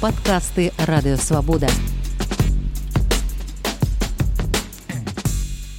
Падкасты Радыёвабода.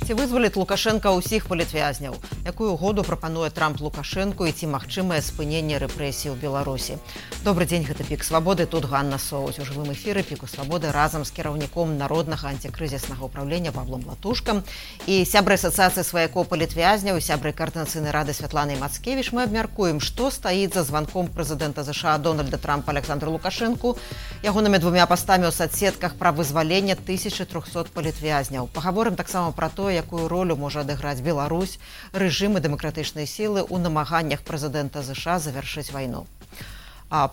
Ці вызваліць Лукашенка ўсіх палітвязняў? Якую угоду прапануе Трамп Лукашэнку і ці магчымае спыненне рэпрэсій у Беларусі? Добрый дзень, гэта Пік Свабоды, тут Ганна Соўць. У жывым эфіры Піку Свабоды разам з кіраўніком Народнага антикрызіснага ўправлення Павлом Латушкам і сябрай асацыяцыі сваякоў палітвязняў і сябрай Каардынацыйнай рады Святланай Мацкевіч. Мы абмяркуем, што стаіць за званком прэзідэнта ЗША Дональда Трампа Александру Лукашэнку, ягонымі двумя пастамі ў садсетках пра вызвалення 1300 палітвязняў. Пагаворым таксама пра тое, якую ролю можа адыграць Беларусь, рэжым і дэмакратычныя сілы ў намаганнях прэзідэнта ЗША завяршыць вайну.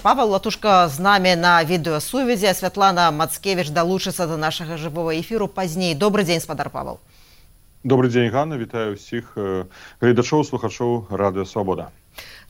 Павел Латушка з намі на відэасувязі, а Святлана Мацкевіч далучыцца да нашага жывога эфіру пазней. Добрый дзень, спадар Павел. Добрый дзень, Ганна, вітаю ўсіх гледачоў, слухачоў Радыё Свабода.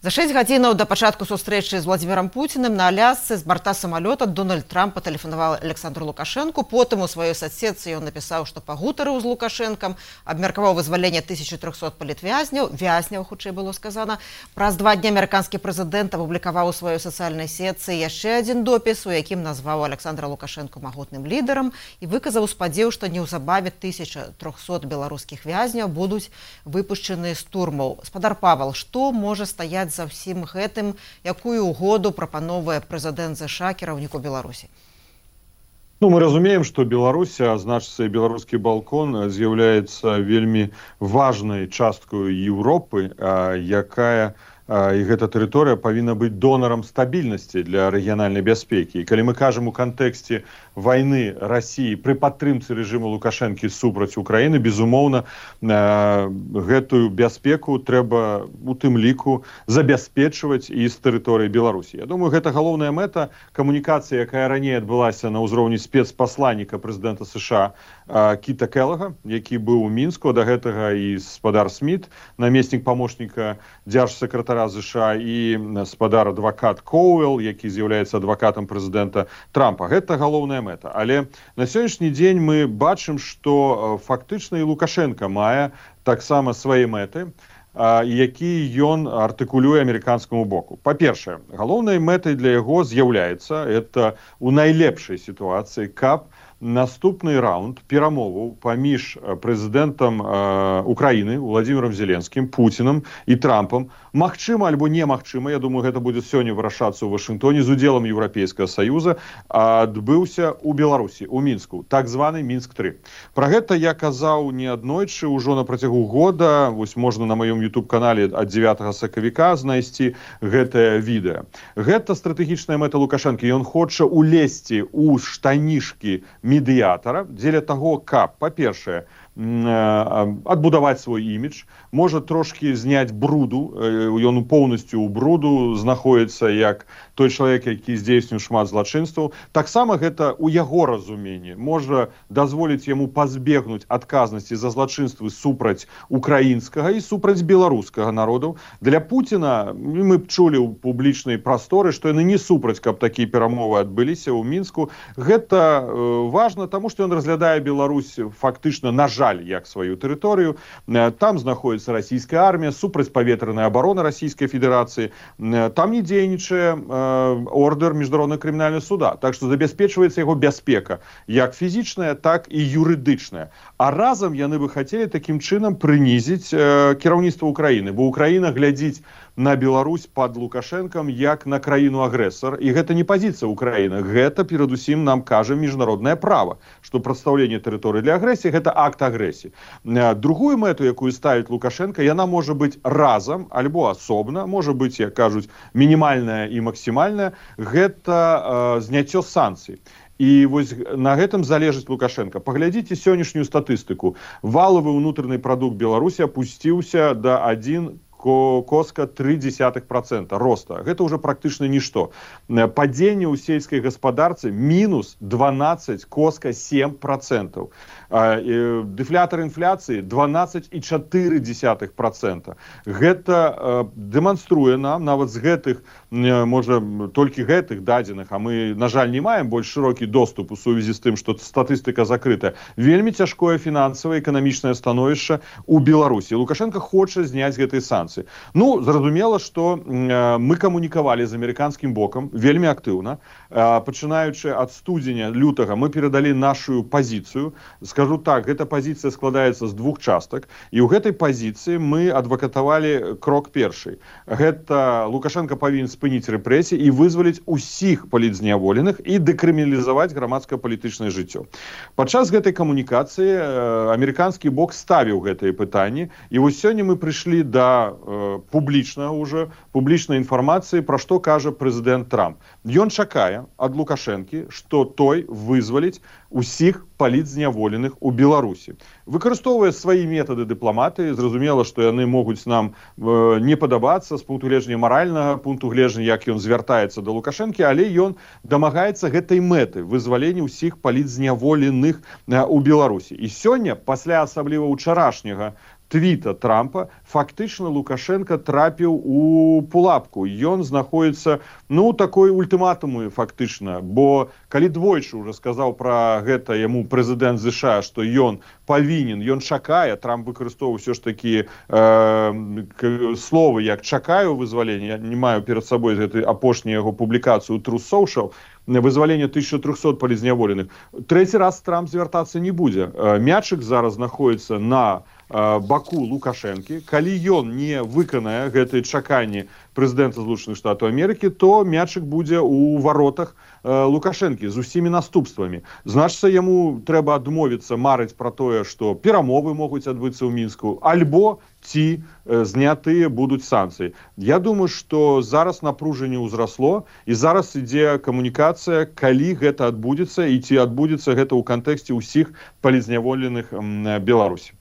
За 6 гадзінаў да пачатку сустрэчы з Владзімірам Пуціним на Алясцы з барта самалёта Дональд Трамп патэлефанаваў Александру Лукашэнку. Потым у сваёй садсетцы ён напісаў, што пагутарыў з Лукашэнкам, абмеркаваў вызваленне 1300 палітвязняў, вязняў, хутчэй было сказана. Праз 2 дні амерыканскі прэзідэнт апублікаваў у сваёй сацыяльнай сетцы яшчэ адзін допіс, у якім назваў Александра Лукашэнку магутным лідарам і выказаў спадзеў, што неўзабаве 1300 беларускіх вязняў будуць выпушчаны з турмаў. Спадар Павел, што можа стаяць за ўсім гэтым, якую угоду прапановвае прэзідэнт ЗША кіраўніку Беларусі? Мы разумеем, што Беларусь, а значыцца і беларускі балкон, з'яўляецца вельмі важнай часткаю Еўропы, якая і гэта тэрыторыя павінна быць донарам стабільнасці для рэгіянальнай бяспекі. І калі мы кажам у кантэксце вайны Расіі пры падтрымцы рэжыму Лукашэнкі супраць Украіны, безумоўна, гэтую бяспеку трэба у тым ліку забяспечваць і з тэрыторыі Беларусі. Я думаю, гэта галоўная мэта камунікацыі, якая раней адбылася на ўзроўні спецпасланніка прэзідэнта США Кіта Келлага, які быў у Мінску, да гэтага і спадар Сміт, намеснік памочніка дзяржсакратара ЗША і спадар адвакат Коуэлл, які з'яўляецца адвакатам прэзідэнта Трампа. Гэта галоўная мэта. Але на сённяшні дзень мы бачым, што фактычна і Лукашенка мае таксама свае мэты, які ён артыкулюе амерыканскаму боку. Па-першае, галоўнай мэтай для яго з'яўляецца это у найлепшай сітуацыі, каб наступны раунд перамоваў паміж прэзідэнтам Украіны Владзімірам Зеленскім, Пуцінам і Трампам магчыма альбо немагчыма, я думаю, гэта будзе сёння вырашацца ў Вашынгтоне з удзелам Еўрапейскага Саюза, адбыўся ў Беларусі, у Мінску, так званы Мінск-3. Пра гэта я казаў неаднойчы ўжо на працягу года, вось можна на маём YouTube-канале ад 9 сакавіка знайсці гэтае відэа. Гэта стратэгічная мэта Лукашэнкі, ён хоча улезці ў штанішкі медыятара дзеля таго, каб, па-першае, адбудаваць свой імідж, можа трошкі зняць бруду, ён поўнасцю ў бруду знаходіцца як той чалавек, які здзейсніў шмат злачынстваў. Таксама гэта у яго разуменні можа дазволіць яму пазбегнуць адказнасці за злачынствы супраць украінскага і супраць беларускага народаў. Для Пуціна, мы б чулі ў публічнай прасторы, што яны не супраць, каб такія перамовы адбыліся ў Мінску. Гэта важна, таму што ён разглядае Беларусь фактычна, на жаль, як сваю тэрыторыю. Там знаходіцца расійская армія, супрацьпаветраная абарона Расійскай Федэрацыі. Там не дзейнічае ордэр міжнароднага крымінальнага суда. Так што забяспечваецца яго бяспека, як фізічная, так і юрыдычная. А разам яны бы хацелі такім чынам прынізіць кіраўніцтва Украіны, бо Украіна глядзіць на Беларусь пад Лукашэнкам як на краіну-агрэсар. І гэта не пазіцыя Украіны. Гэта, перадусім, нам кажа міжнароднае права, што прадстаўленне тэрыторыі для агрэсіі – гэта акт агрэсіі. Другую мэту, якую ставіць Лукашенка, яна можа быць разам, альбо асобна, можа быць, як кажуць, мінімальная і максімальная, гэта зняццё санкцый. І вось на гэтым залежыць Лукашенка. Паглядзіце сённяшнюю статыстыку. Валавы ўнутраны прадукт Беларусі апусціўся да 1,3% роста. Гэта ўжо практычна нішто. Падзенне ў сельскай гаспадарцы мінус 12,7%. Дэфлятар інфляцыі 12,4%. Гэта дэманструе нам, нават з гэтых, можа, толькі гэтых дадзеных, а мы, на жаль, не маем больш шырокі доступ у сувязі з тым, што статыстыка закрыта, вельмі цяжкое фінансавае эканамічнае становішча ў Беларусі. Лукашенко хоча зняць гэтыя санкцыі. санкцыі. Ну, зразумела, што мы камунікавалі з амерыканскім бокам вельмі актыўна. Пачынаючы ад студзеня, лютага, мы перадалі нашу пазіцыю. Скажу так, гэта пазіцыя складаецца з двух частак, і ў гэтай пазіцыі мы адвакатавалі крок першы. Гэта Лукашенко павінен спыніць рэпрэсіі і вызваліць усіх палітзняволеных і дэкрыміналізаваць грамадска-палітычнае жыццё. Падчас гэтай камунікацыі амерыканскі бок ставіў гэтыя пытанні, і вось сёння мы прыйшлі да публічнай інфармацыі, пра што кажа прэзідэнт Трамп. Ён чакае ад Лукашэнкі, што той вызваліць усіх палітзняволеных у Беларусі. Выкарыстоўвае свае метады дыпламатыі, зразумела, што яны могуць нам не падабацца з пункту гледжання маральнага, пункту гледжання, як ён звяртаецца да Лукашэнкі, але ён дамагаецца гэтай мэты вызвалення ўсіх палітзняволеных у Беларусі. І сёння, пасля асабліва ўчарашняга твіта Трампа, фактычна Лукашенко трапіў у пулапку. Ён знаходіцца, такой ультыматумы фактычна, бо калі двойчы ўжо сказаў пра гэта яму прэзідэнт ЗША, што ён павінен, ён чакае, Трамп выкарыстоўваў ўсё ж такі словы, як чакаю вызвалення, я не маю перад сабой гэтай апошняй яго публікацыю Truth Social, вызвалення 1300 палітзняволеных. Трэці раз Трамп звяртацца не будзе. Мячык зараз знаходіцца на баку Лукашэнкі. Калі ён не выканае гэтыя чаканні прэзідэнта Злучаных Штатаў Амерыкі, то мячык будзе ў варотах Лукашэнкі з усімі наступствамі. Значыцца, яму трэба адмовіцца марыць пра тое, што перамовы могуць адбыцца ў Мінску, альбо ці знятыя будуць санкцыі. Я думаю, што зараз напружанне ўзрасло, і зараз ідзе камунікацыя, калі гэта адбудзецца, і ці адбудзецца гэта ў кантэксце ўсіх палітзняволеных Беларусі.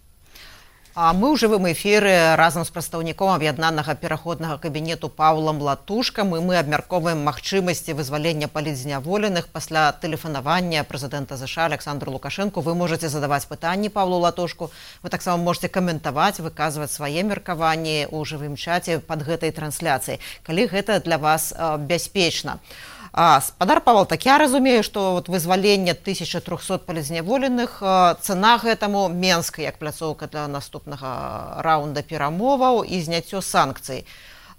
А мы ў жывым эфіры разам з прадстаўніком аб'яднанага пераходнага кабінету Паўлам Латушкам, і мы абмяркоўваем магчымасці вызвалення палітзняволеных пасля тэлефанавання прэзідэнта ЗША Александру Лукашэнку. Вы можаце задаваць пытанні Паўлу Латушку, вы таксама можаце каментаваць, выказваць свае меркаванні ў жывым чаце пад гэтай трансляцыяй, калі гэта для вас бяспечна. Спадар Павел, так я разумею, што вызваленне 1300 палітзняволеных, цана гэтаму Менска як пляцоўка для наступнага раунда перамоваў і зняццё санкцый.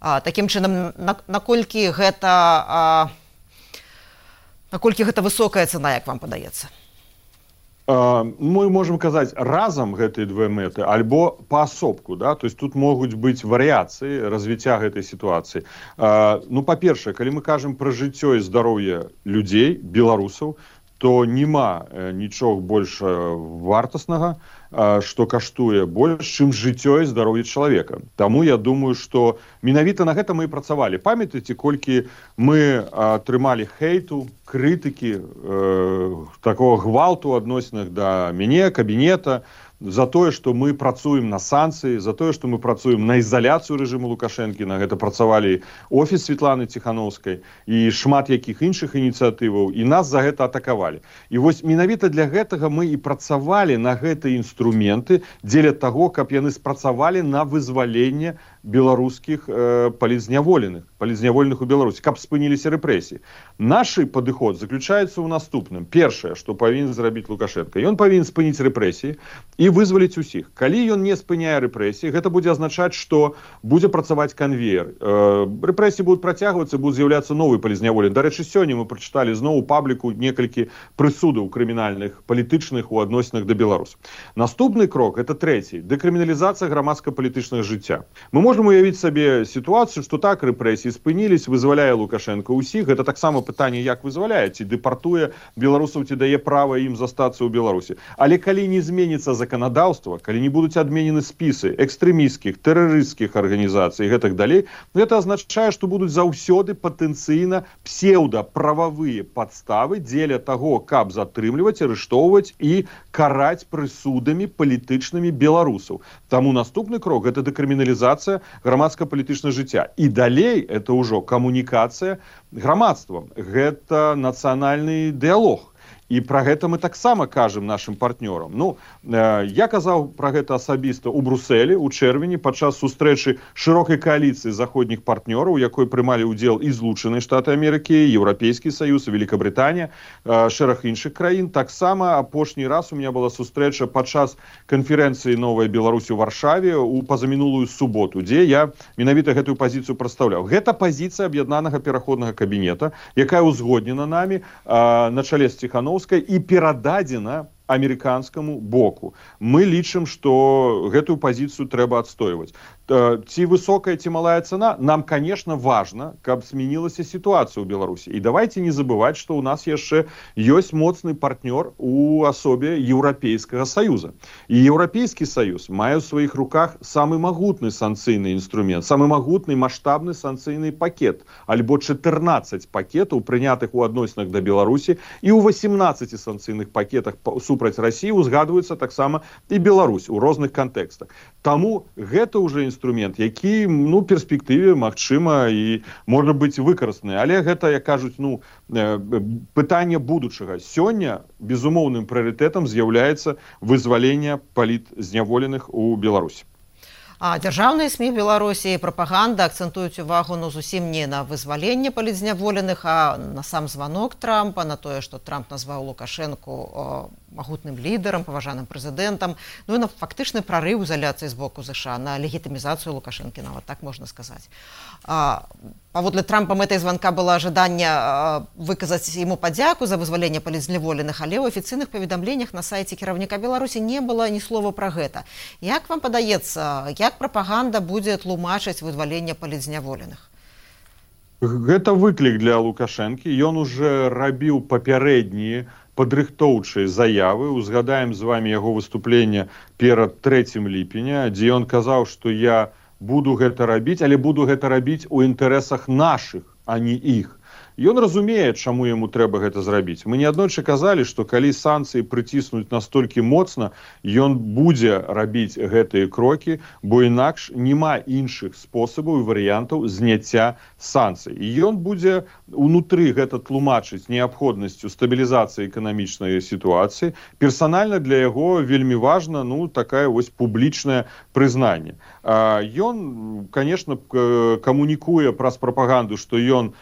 Такім чынам, наколькі гэта высокая цана, як вам падаецца? Мы можем казаць разам гэтыя две мэты, альбо паасобку, да? То есть тут могуць быць варыяцыі развіцця гэтай сітуацыі. Па-першае, калі мы кажам пра жыццё і здароўе людзей, беларусаў, то няма нічога больш вартаснага, што каштуе больш, чым жыццё і здароўе чалавека. Таму я думаю, што менавіта на гэта мы і працавалі. Памятаеце, колькі мы атрымалі хейту, крытыкі, такого гвалту ў адносінах да мяне, кабінета, за тое, што мы працуем на санкцыі, за тое, што мы працуем на ізаляцыю рэжыму Лукашэнкі, на гэта працавалі офіс Светланы Ціхановскай і шмат якіх іншых ініцыятываў, і нас за гэта атакавалі. І вось менавіта для гэтага мы і працавалі на гэтыя інструменты дзеля таго, каб яны спрацавалі на вызваленне беларускіх палітзняволеных у Беларусі, каб спыніліся рэпрэсіі. Наш падыход заключаецца ў наступным. Першае, што павінен зрабіць Лукашенко, ён павінен спыніць рэпрэсіі і вызваліць усіх. Калі ён не спыняе рэпрэсіі, гэта будзе азначаць, што будзе працаваць канвеер. Рэпрэсіі будуць працягвацца, будуць з'яўляцца новыя палітзняволеныя. Дарэчы, сёння мы прачыталі зноў у пабліку некалькі прысудаў крымінальных, палітычных у адносінах да беларусаў. Наступны крок, это трэці, дэкрыміналізацыя грамадска-палітычнага жыцця. Мы можем уявіць сабе сітуацыю, што так рэпрэсіі спынілись, вызваляе Лукашенко ўсіх. Гэта таксама пытанне, як вызваляе, ці дэпартуе беларусаў, ці дае права ім застацца ў Беларусі. Але калі не зменіцца заканадаўства, калі не будуць адменены спісы экстрэмісцкіх, тэрарысцкіх арганізацый і гэтак далей, гэта азначае, што будуць заўсёды патэнцыйна псеўдаправавыя падставы дзеля таго, каб затрымліваць, арыштоўваць і караць прысудамі палітычнымі беларусаў. Таму наступны крок – гэта дэкрыміналізацыя грамадска-палітычнага жыцця. І далей это ўжо камунікацыя грамадствам. Гэта нацыянальны дыялог. І пра гэта мы таксама кажам нашым партнёрам. Ну, я казаў пра гэта асабіста ў Брусэлі ў чэрвені падчас сустрэчы шырокай кааліцыі заходніх партнёраў, у якой прымалі ўдзел і Злучаныя Штаты Амерыкі, Еўрапейскі Саюз, Великабрытанія, шэраг іншых краін. Таксама апошні раз у меня была сустрэча падчас канферэнцыі «Новая Беларусь» у Варшаве у пазамінулую суботу, дзе я менавіта гэтую пазіцыю прадстаўляў. Гэта пазіцыя аб'яднанага пераходнага кабінета, якая ўзгоднена намі на чале з Ціхановскай і перададзена амерыканскаму боку. Мы лічым, што гэтую пазіцыю трэба адстойваць. Ці высокая, ці малая цана, нам, конечно, важна, каб змянілася сітуацыя ў Беларусі. І давайте не забываць, што ў нас яшчэ ёсць моцны партнёр у асобе Еўрапейскага Саюза. І Еўрапейскі Саюз мае ў сваіх руках самы магутны санкцыйны інструмент, самы магутны маштабны санкцыйны пакет, альбо 14 пакетаў, прынятых у адносінах да Беларусі, і ў 18 санкцыйных пакетах супраць Расіі узгадваецца таксама і Беларусь у розных кантэкстах. Таму гэта ўжо інструмент, які, ну, перспектыве, магчыма, і можа быць выкарыстаны. Але гэта, як кажуць, ну, пытанне будучага. Сёння безумоўным прыярытэтам з'яўляецца вызваленне палітзняволеных у Беларусі. А дзяржаўныя СМІ Беларусі і прапаганда акцэнтуюць увагу, ну, зусім не на вызваленне палітзняволеных, а на сам званок Трампа, на тое, што Трамп назваў Лукашэнку магутным лідарам, паважаным прэзідэнтам, ну і на фактычны прарыў ізаляцыі з боку ЗША, на легітымізацыю Лукашэнкі, нават так можна сказаць. Паводле Трампа мэтай званка было жаданне выказаць яму падзяку за вызваленне палітзняволеных, але ў афіцыйных паведамленнях на сайце кіраўніка Беларусі не было ні слова пра гэта. Як вам падаецца, як прапаганда будзе тлумачыць вызваленне палітзняволеных? Гэта выклік для Лукашэнкі. Ён уже рабіў папярэднія падрыхтоўчыя заявы. Узгадаем з вами яго выступленне перад 3 ліпеня, дзе ён казаў, што я буду гэта рабіць, але буду гэта рабіць у інтарэсах нашых, а не іх. Ён разумее, чаму яму трэба гэта зрабіць. Мы неаднойчы казалі, што калі санкцыі прыціснуць настолькі моцна, ён будзе рабіць гэтыя крокі, бо інакш няма іншых спосабаў і варыянтаў зняцця санкцый. І ён будзе унутры гэта тлумачыць неабходнасцю стабілізацыі эканамічнай сітуацыі. Персанальна для яго вельмі важна, ну, такая вось публічнае прызнанне. Ён, конечно, камунікуе праз прапаганду, што ён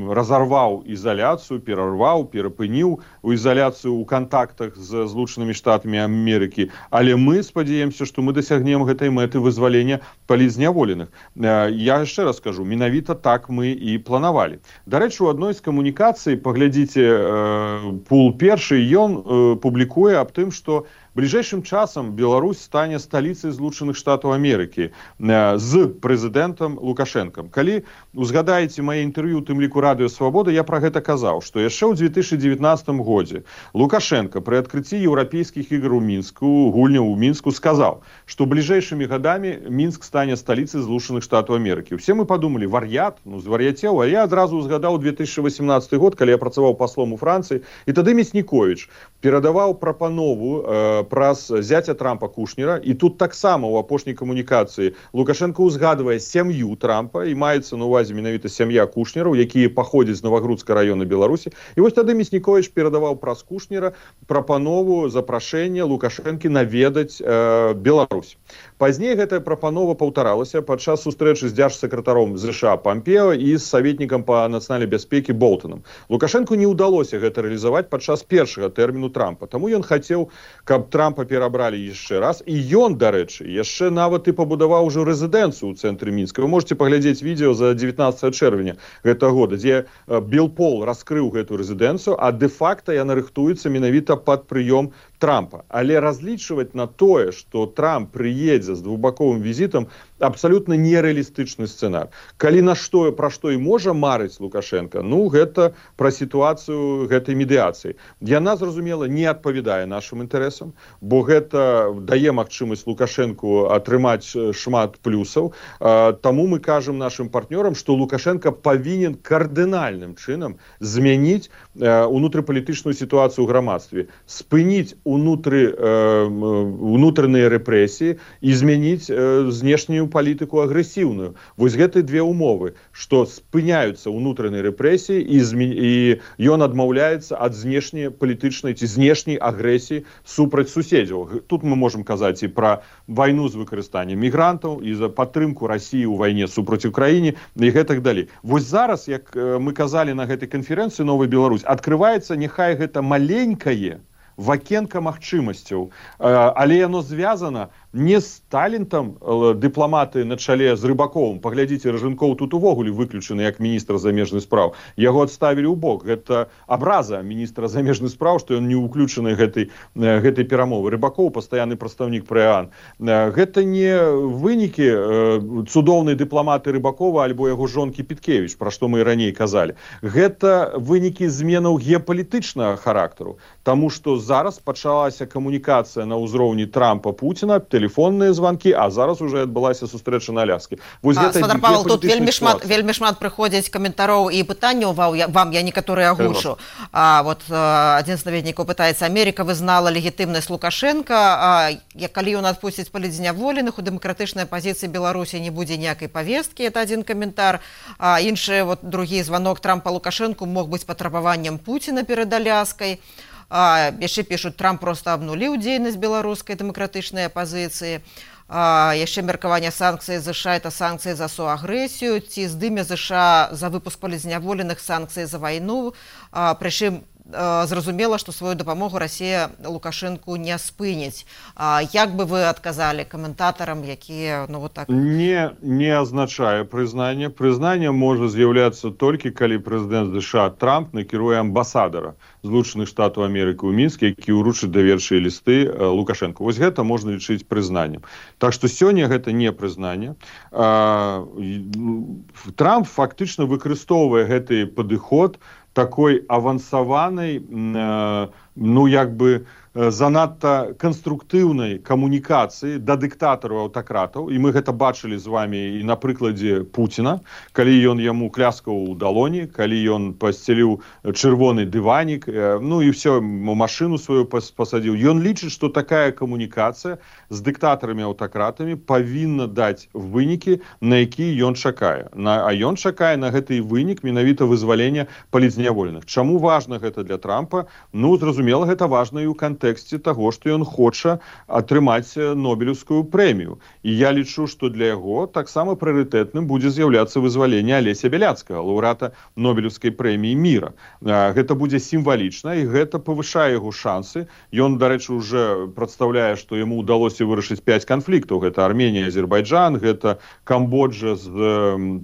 разорваў ізаляцыю, перарваў, перапыніў у ізаляцыю ў кантактах з Злучанымі Штатамі Амерыкі. Але мы спадзяемся, што мы дасягнем гэтай мэты вызвалення палітзняволеных. Я яшчэ раз скажу, менавіта так мы і планавалі. Дарэчы, у адной з камунікацый, паглядзіце пул першы, ён публікуе аб тым, што бліжэйшым часам Беларусь стане сталіцай Злучаных Штатаў Амерыкі з прэзідэнтам Лукашэнкам. Калі узгадаеце мае інтэрв'ю, у тым ліку Радыё Свабода, я пра гэта казаў, што яшчэ ў 2019 годзе Лукашенко пры адкрыцці еўрапейскіх ігр у Мінску, гульняў у Мінску, сказаў, што бліжэйшымі гадамі Мінск стане сталіцай Злучаных Штатаў Амерыкі. Усе мы падумалі, вар'ят, ну звар'яцеў, а я адразу узгадаў 2018 год, калі я працаваў паслом у Францыі, і тады Мяснікowicz перадаваў прапанову праз зяця Трампа Кушнера, і тут таксама ў апошняй камунікацыі Лукашенко узгадвае сям'ю Трампа, і маецца на увазе менавіта сям'я Кушнераў, якія паходзяць з Новагрудска раёна Беларусі. І вось тады Мяснікowicz перадаваў праз Кушнера прапанову, запрашэнне Лукашэнкі наведаць Беларусь. Пазней гэтая прапанова паўтаралася падчас сустрэчы з дзяржсакратаром ЗША Пампео і з саветнікам па нацыянальнай бяспекі Болтонам. Лукашэнку не ўдалося гэта рэалізаваць падчас першага тэрміну Трампа. Таму ён хацеў, каб Трампа перабралі яшчэ раз. І ён, дарэчы, яшчэ нават і пабудаваў ужо рэзідэнцыю ў цэнтры Мінска. Вы можете паглядзець відео за 19 чэрвеня гэтага года, дзе Белпол раскрыў гэтую рэзідэнцыю, а дэ-факта яна рыхтуецца менавіта пад прыём Трампа. Але разлічваць на тое, што Трамп прыедзе з двухбаковым візітам, абсалютна нереалістычны сцэнар. Калі на што, пра што і можа марыць Лукашенко, ну, гэта пра сітуацыю гэтай медыяцыі. Яна, зразумела, не адпавядае нашым інтарэсам, бо гэта дае магчымасць Лукашенку атрымаць шмат плюсаў. Таму мы кажам нашым партнёрам, што Лукашенко павінен кардынальным чынам змяніць унутрыпалітычную сітуацыю ў грамадстве, спыніць унутраныя рэпрэсіі і змяніць знешнюю палітыку агрэсіўную. Вось гэты две умовы, што спыняюцца ўнутранай рэпрэсіі і ён адмаўляецца ад знешняй палітычнай ці знешняй агрэсіі супраць суседзяў. Тут мы можам казаць і пра вайну з выкарыстаннем мігрантаў, і за падтрымку Расіі ў вайне супраць Украіне, і гэтак далей. Вось зараз, як мы казалі на гэтай канферэнцыі «Новая Беларусь», адкрываецца, няхай гэта маленькае вакенка магчымасцяў, але яно звязана не з талентам дыпламаты на чале з Рыбаковым. Паглядзіце, Ражынкоў тут увогуле выключаны як міністр замежных спраў. Яго адставілі ў бок. Гэта абраза міністра замежных спраў, што ён не ўключаны гэтай перамовы. Рыбакоў пастаянны прадстаўнік ПРЭАН. Гэта не вынікі цудоўнай дыпламаты Рыбакова альбо яго жонкі Піткевіч, пра што мы і раней казалі. Гэта вынікі зменаў геапалітычнага характару, таму што зараз пачалася камунікацыя на ўзроўні Трампа-Пуціна, тэлефонныя званкі, а зараз уже адбылася сустрэча на Аляскі. Святар Павел, тут вельмі шмат прыходзяць каментароў і пытанняў вам, я некаторыя агушу. Адзін з наведнікаў пытаецца: Америка вызнала легітымнасць Лукашенка, калі ён адпусціць палітзняволеных, у дэмакратычнай пазіцыі Беларусі не будзе ніякай павесткі, это адзін каментар. Іншы, другі званок Трампа Лукашенку мог быць патрабаваннем Пуціна перад Аляскай. Яшчэ пішуць, Трамп проста абнуліў дзейнасць беларускай дэмакратычнай апазіцыі. Яшчэ меркаванне санкцыі ЗША — это санкцыі за суагрэсію, ці здыме ЗША за выпуск палітзняволеных санкцыі за вайну. Прычым зразумела, што сваю дапамогу Расія Лукашэнку не спыніць. Як бы вы адказалі каментатарам, якія так... Не азначае прызнанне. Прызнанне можа з'яўляцца толькі, калі прэзідэнт ЗША Трамп накіруе амбасадара Злучаных Штатаў Амерыкі ў Мінске, які ўручыць даверчыя лісты Лукашэнку. Вось гэта можна лічыць прызнаннем. Так што сёння гэта не прызнанне. Трамп фактычна выкарыстоўвае гэты падыход такой авансаванай, занадта канструктыўнай камунікацыі да дыктатараў, аўтакратаў. І мы гэта бачылі з вамі і на прыкладзе Пуціна, калі ён яму кляскаў у далоні, калі ён пасцеліў чырвоны дыванік, і ўсё, машыну сваю пасадзіў. Ён лічыць, што такая камунікацыя з дыктатарамі-аўтакратамі павінна даць вынікі, на якія ён чакае. А ён чакае на гэты вынік менавіта вызвалення палітзняволеных. Чаму важна гэта для Трампа? Зразумела, гэта важна і ў кантэксце таго, што ён хоча атрымаць Нобелеўскую прэмію. І я лічу, што для яго таксама прыярытэтным будзе з'яўляцца вызваленне Алеся Бяляцкага, лаўрэата Нобелеўскай прэміі міра. Гэта будзе сімвалічна, і гэта павышае яго шансы. Ён, дарэчы, уже прадстаўляе, што яму ўдалося вырашыць 5 канфліктаў. Гэта Арменія, Азербайджан, гэта Камбоджа з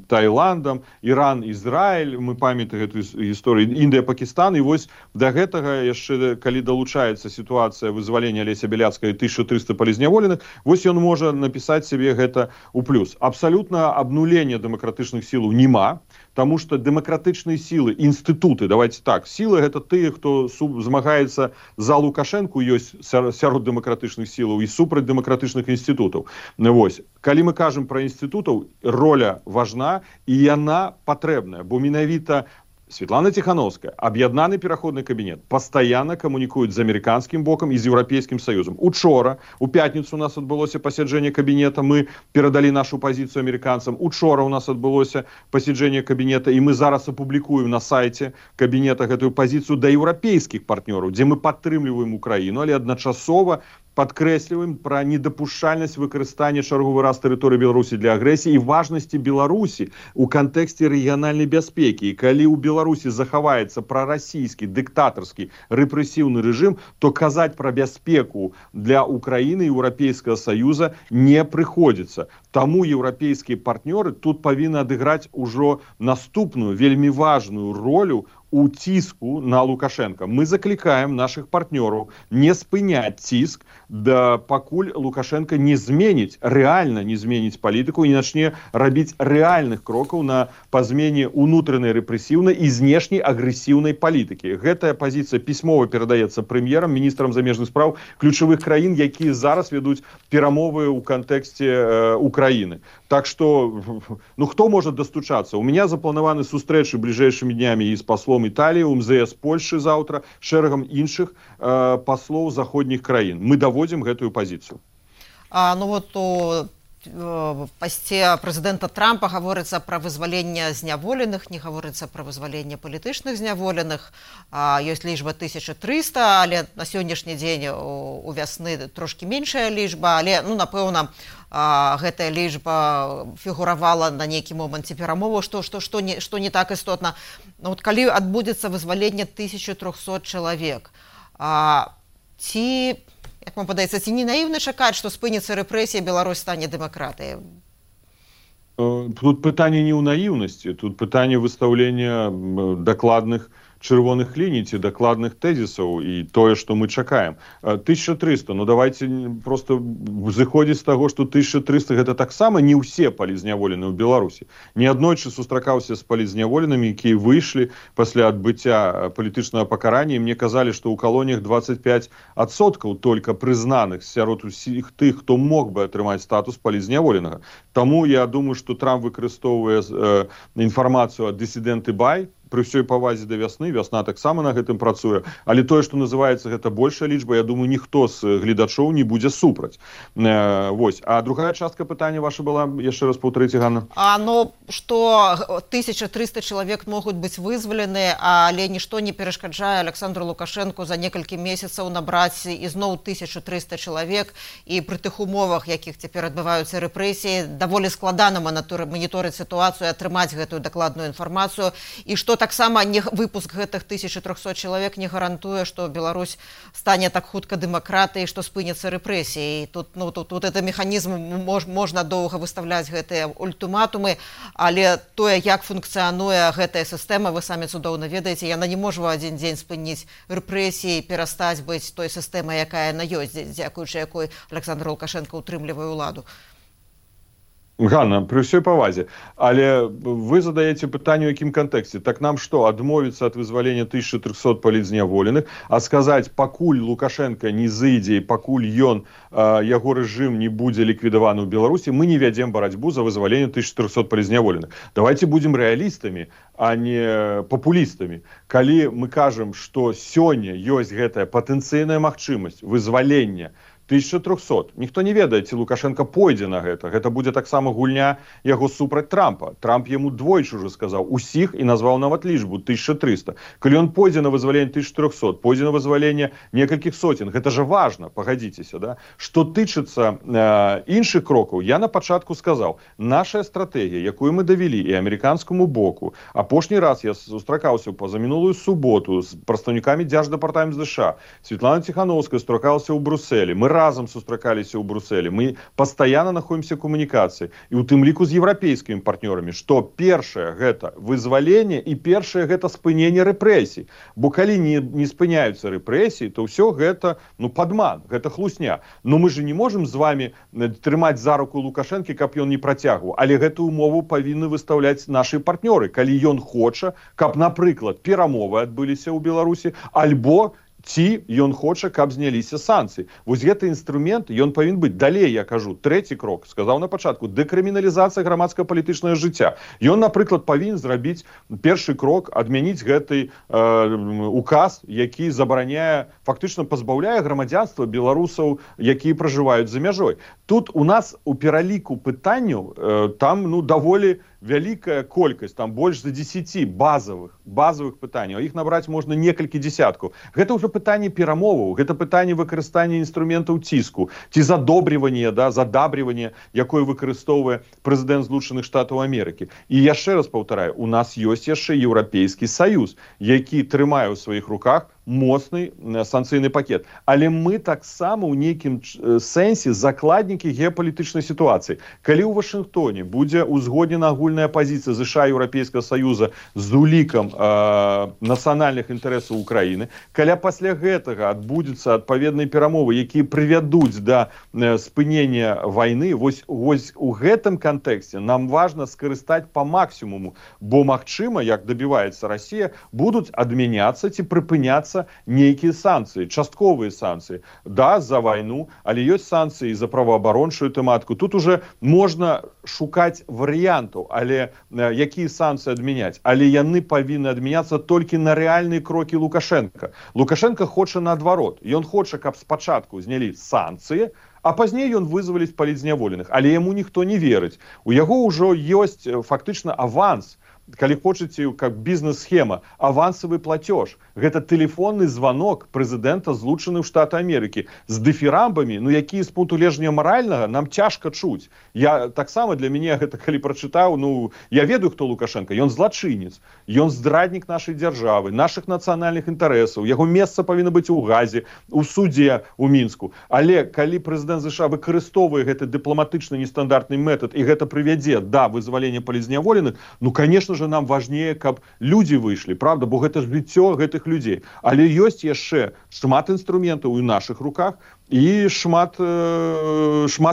Таіландам, Іран, Ізраіль. Мы памятаем гэту гісторыю. Індыя, Пакістан. І вось да гэтага яшчэ, калі далучаецца сітуацыя вызвалення Алеся Бяляцкага і 1300 палітзняволеных, вось ён можа напісаць сябе гэта ў плюс. Абсалютна абнулення дэмакратычных сілаў няма, таму што дэмакратычныя сілы, інстытуты, давайте так, сілы гэта тыя, хто змагаецца за Лукашэнку, ёсць сярод дэмакратычных сілаў і супраць дэмакратычных інстытутаў. Вось, калі мы кажам пра інстытутаў, роля важна і яна патрэбная, бо менавіта Светлана Тихановская, аб'яднаны пераходны кабінет, пастаянна камунікуюць з амерыканскім бокам і з Еўрапейскім саюзам. Учора, у пятніцу у нас адбылося пасяджэнне кабінета, мы перадалі нашу пазіцыю амерыканцам. Учора у нас адбылося пасяджэнне кабінета, і мы зараз апублікуем на сайце кабінета гэтую пазіцыю да еўрапейскіх партнёраў, дзе мы падтрымліваем Украіну, але адначасова падкрэсліваем пра недапушчальнасць выкарыстання чарговы раз тэрыторыі Беларусі для агрэсіі і важнасці Беларусі ў кантэксце рэгіянальнай бяспекі. І калі ў Беларусі захаваецца прарасійскі, дыктатарскі, рэпрэсіўны рэжым, то казаць пра бяспеку для Украіны і Еўрапейскага саюза не прыходзіцца. Таму еўрапейскія партнёры тут павінны адыграць ужо наступную, вельмі важную ролю у ціску на Лукашенка. Мы заклікаем наших партнёраў не спыняць ціск, пакуль Лукашенко не зменіць, рэальна не зменіць палітыку і начне рабіць рэальных крокаў па змене унутранай рэпрэсіўнай і знешняй агрэсіўнай палітыкі. Гэтая пазіцыя пісьмова перадаецца прэм'ерам, міністрам замежных спраў ключавых краін, якія зараз вядуць перамовы ў кантэксце Украіны. Так што, хто можа дастучацца? У меня запланаваны сустрэчы бліжэйшымі днямі і з паслом Італіі, МЗС Польшы заўтра, шэрагам іншых паслоў заходніх краін. Мы даводзім гэтую пазіцыю. Ну вот у пасце прэзідэнта Трампа гаворыцца пра вызваленне зняволеных, не гаворыцца пра вызваленне палітычных зняволеных. Ёсць лічба 1300, але на сённяшні дзень у вясны трошкі меншая лічба, але напэўна гэтая лічба фігуравала на нейкі момант ці перамоваў, што не так істотна. Вот калі адбудзецца вызваленне 1300 чалавек, ці, як вам падаецца, ці не наіўна чакаць, што спыніцца рэпрэсія, Беларусь стане дэмакратыяй? Тут пытанне не ў наіўнасці, тут пытанне выстаўлення дакладных чырвоных ліній ці дакладных тэзісаў і тое, што мы чакаем. 1300, давайте просто зыходзіць з таго, што 1300 гэта таксама не ўсе палізняволеныя ў Беларусі. Неаднойчы сустракаўся з палізняволенымі, якія выйшлі пасля адбыцця палітычнага пакарання, і мне казалі, што ў калоніях 25% толькі прызнаных сярод усіх тых, хто мог бы атрымаць статус палізняволенага. Таму я думаю, што Трамп выкарыстоўвае інфармацыю ад дысідэнты Бай, пры ўсёй павазе да вясны, вясна таксама на гэтым працуе, але тое, што называецца гэта большая лічба, я думаю, ніхто з гледачоў не будзе супраць. Вось. А другая частка пытання ваша была, яшчэ раз паўтарыце, Ганна. Што 1300 чалавек могуць быць вызвалены, але нішто не перашкаджае Александру Лукашэнку за некалькі месяцаў набраць ізноў 1300 чалавек, і пры тых умовах, якіх цяпер адбываюцца рэпрэсіі, даволі складана маніторыць сітуацыю, атрымаць гэтую дакладную інфармацыю, і што таксама выпуск гэтых 1300 чалавек не гарантуе, што Беларусь стане так хутка дэмакратыяй, што спыняцца рэпрэсіі. Тут это механізм, можна доўга выстаўляць гэтыя ультыматумы, але тое, як функцыянуе гэтая сістэма, вы самі цудоўна ведаеце, яна не можа ў адзін дзень спыніць рэпрэсіі, перастаць быць той сістэмай, якая яна ёсць, дзякуючы якой Александр Лукашенко утрымлівае ўладу. Ганна, при ўсёй павазе, але вы задаеце пытанне, у якім кантэксце. Так нам што, адмовіцца ад вызвалення 1300 палізняволеных, а сказаць, пакуль Лукашенко не зыдзе, пакуль яго рэжым не будзе ліквідаваны ў Беларусі, мы не вядзем барацьбу за вызваленне 1300 палізняволеных. Давайте будзем рэалістамі, а не папулістамі. Калі мы кажам, што сёння ёсць гэтая патэнцыйная магчымасць вызвалення 1300. Ніхто не ведае, ці Лукашенко пойдзе на гэта. Гэта будзе таксама гульня яго супраць Трампа. Трамп яму двойчы ўжо сказаў усіх і назваў нават лічбу 1300. Калі ён пойдзе на вызваленне 1300, пойдзе на вызваленне некалькіх сотен, гэта же важна, пагадзіцеся, да? Што тычыцца іншых крокаў, я на пачатку сказаў, наша стратэгія, якую мы давялі і амерыканскаму боку, апошні раз я сустракаўся пазамінулую суботу з прадстаўнікамі Дзярждэпартамента США, Светлана Ціхановская сустракалася ў Брусэлі, мы разам сустракаліся ў Брусэлі, мы пастаянна находзімся ў камунікацыі, і ў тым ліку з еўрапейскімі партнёрамі, што першае гэта вызваленне і першае гэта спыненне рэпрэсій. Бо калі не спыняюцца рэпрэсіі, то ўсё гэта падман, гэта хлусня. Но мы же не можам з вами трымаць за руку Лукашэнкі, каб ён не працягваў, але гэтую умову павінны выстаўляць нашы партнёры, калі ён хоча, каб, напрыклад, перамовы адбыліся ў Беларусі, альбо ці ён хоча, каб зняліся санкцыі. Вось гэты інструмент, ён павінен быць. Далей, я кажу, трэці крок, сказаў на пачатку, дэкрыміналізацыя грамадска-палітычнага жыцця. Ён, напрыклад, павінен зрабіць першы крок, адмяніць гэты указ, які забараняе, фактычна пазбаўляе грамадзянства беларусаў, якія пражываюць за мяжой. Тут у нас у пераліку пытанняў там даволі вялікая колькасць, там больш за 10 базовых пытанняў, іх набраць можна некалькі дзесяткаў. Гэта ўжо пытанне перамоваў, гэта пытанне выкарыстання інструментаў ціску, ці задобрівання, задабрівання, якое выкарыстоўвае прэзідэнт Злучаных Штатаў Амерыкі. І яшчэ раз паўтараю, у нас ёсць яшчэ Еўрапейскі Саюз, які трымае ў сваіх руках моцны санкцыйны пакет. Але мы таксама ў нейкім сэнсе закладнікі геапалітычнай сітуацыі. Калі ў Вашынгтоне будзе узгоднена агульная пазіцыя США і Еўрапейскага Саюза з улікам нацыянальных інтарэсаў Украіны, калі пасля гэтага адбудзецца адпаведныя перамовы, якія прывядуць да спынення вайны, вось у гэтым кантэксце нам важна скарыстаць па максімуму, бо магчыма, як дабіваецца Расія, будуць адмяняцца ці прыпыняцца нейкія санкцыі, частковыя санкцыі. Да, за вайну, але ёсць санкцыі за праваабарончую тэматыку. Тут уже можна шукаць варыянтаў, але якія санкцыі адмяняць. Але яны павінны адмяняцца толькі на рэальныя крокі Лукашенка. Лукашенко хоча наадварот. Ён хоча, каб спачатку знялі санкцыі, А пазней ён вызваліць палітзняволеных, але яму ніхто не верыць. У яго ўжо ёсць фактычна аванс, калі хочаце, как бізнес-схема, авансавы платеж. Гэта тэлефонны звонок прэзідэнта Злучаных Штатаў Амерыкі з дыфірамбамі, ну якія з пункту гледжання маральнага нам цяжка чуць. Я таксама для мяне гэта калі прачытаў, ну я ведаю, хто Лукашенко, ён злачынец, ён здраднік нашай дзяржавы, нашых нацыянальных інтарэсаў, яго месца павінна быць у газе, у судзе у Мінску. Але калі прэзідэнт США выкарыстоўвае гэты дыпламатычны нестандартны метад і гэта прывядзе да вызвалення палітзняволеных, ну конечно же нам важнее, каб люди выйшлі, правда, бо гэта ж жыццё гэтых людзей. Але ёсць яшчэ шмат інструментаў у нашых руках і шмат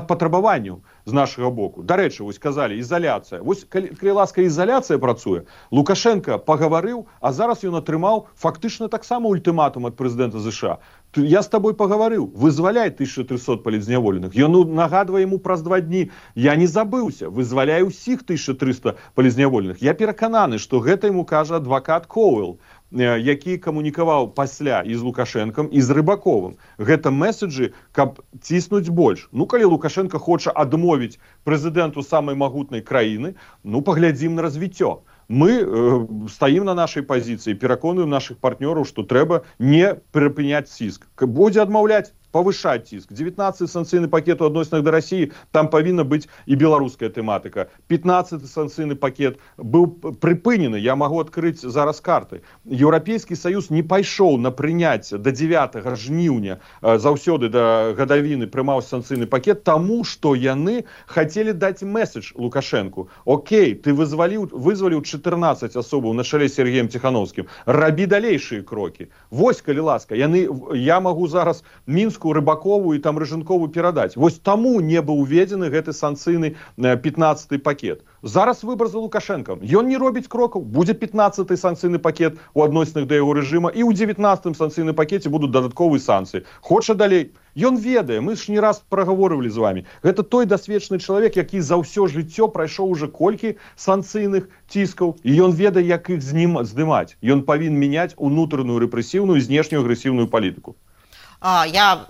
патрабаванняў з нашага боку. Дарэчы, вось казалі, ізаляцыя. Вось калі ласка ізаляцыя працуе, Лукашенко пагаварыў, а зараз ён атрымаў фактычна таксама ультыматум ад прэзідэнта США. Я з табой пагаварыў, вызваляй 1300 палітзняволеных. Ён нагадвае яму праз 2 дні, я не забыўся, вызваляй усіх 1300 палітзняволеных. Я перакананы, што гэта яму кажа адвакат Коуэлл, які камунікаваў пасля і з Лукашенком, і з Рыбаковым. Гэта меседжы, каб ціснуць больш. Ну, калі Лукашенко хоча адмовіць прэзідэнту самай магутнай краіны, ну, паглядзім на развіццё. Мы стаім на нашай пазіцыі, пераконуем нашых партнёраў, што трэба не прыпыняць ціск. Будзе адмаўляць, павышаць ціск. 19-й санкцыйны пакет у адносінах да Расіі, там павінна быць і беларуская тэматыка. 15-й санкцыйны пакет быў прыпынены, я магу адкрыць зараз карты. Еўрапейскі саюз не пайшоў на прыняцце да 9 жніўня, заўсёды да гадавіны прымаў санкцыйны пакет, таму што яны хацелі даць меседж Лукашенку. Окей, ты вызваліў 14 асобаў на чале з Сергеем Ціхановскім. Рабі далейшыя крокі. Вось, калі ласка, я магу зараз Мінску, Рыбакову і там Рыжынкову перадаць. Вось таму не быў уведзены гэты санкцыйны 15-й пакет. Зараз выбар за Лукашенком. Ён не робіць крокаў. Будзе 15-й санкцыйны пакет у адносінах да яго рэжыма і ў 19-м санкцыйным пакеце будуць дадатковыя санкцыі. Хоча далей. Ён ведае, мы ж не раз прагаворывалі з вами. Гэта той дасведчаны чалавек, які за ўсё жыццё прайшоў уже колькі санкцыйных ціскаў, і ён ведае, як іх здымаць. Ён павінен мяняць унутраную рэпрэсіўную і знешнюю агрэсіўную палітыку. Я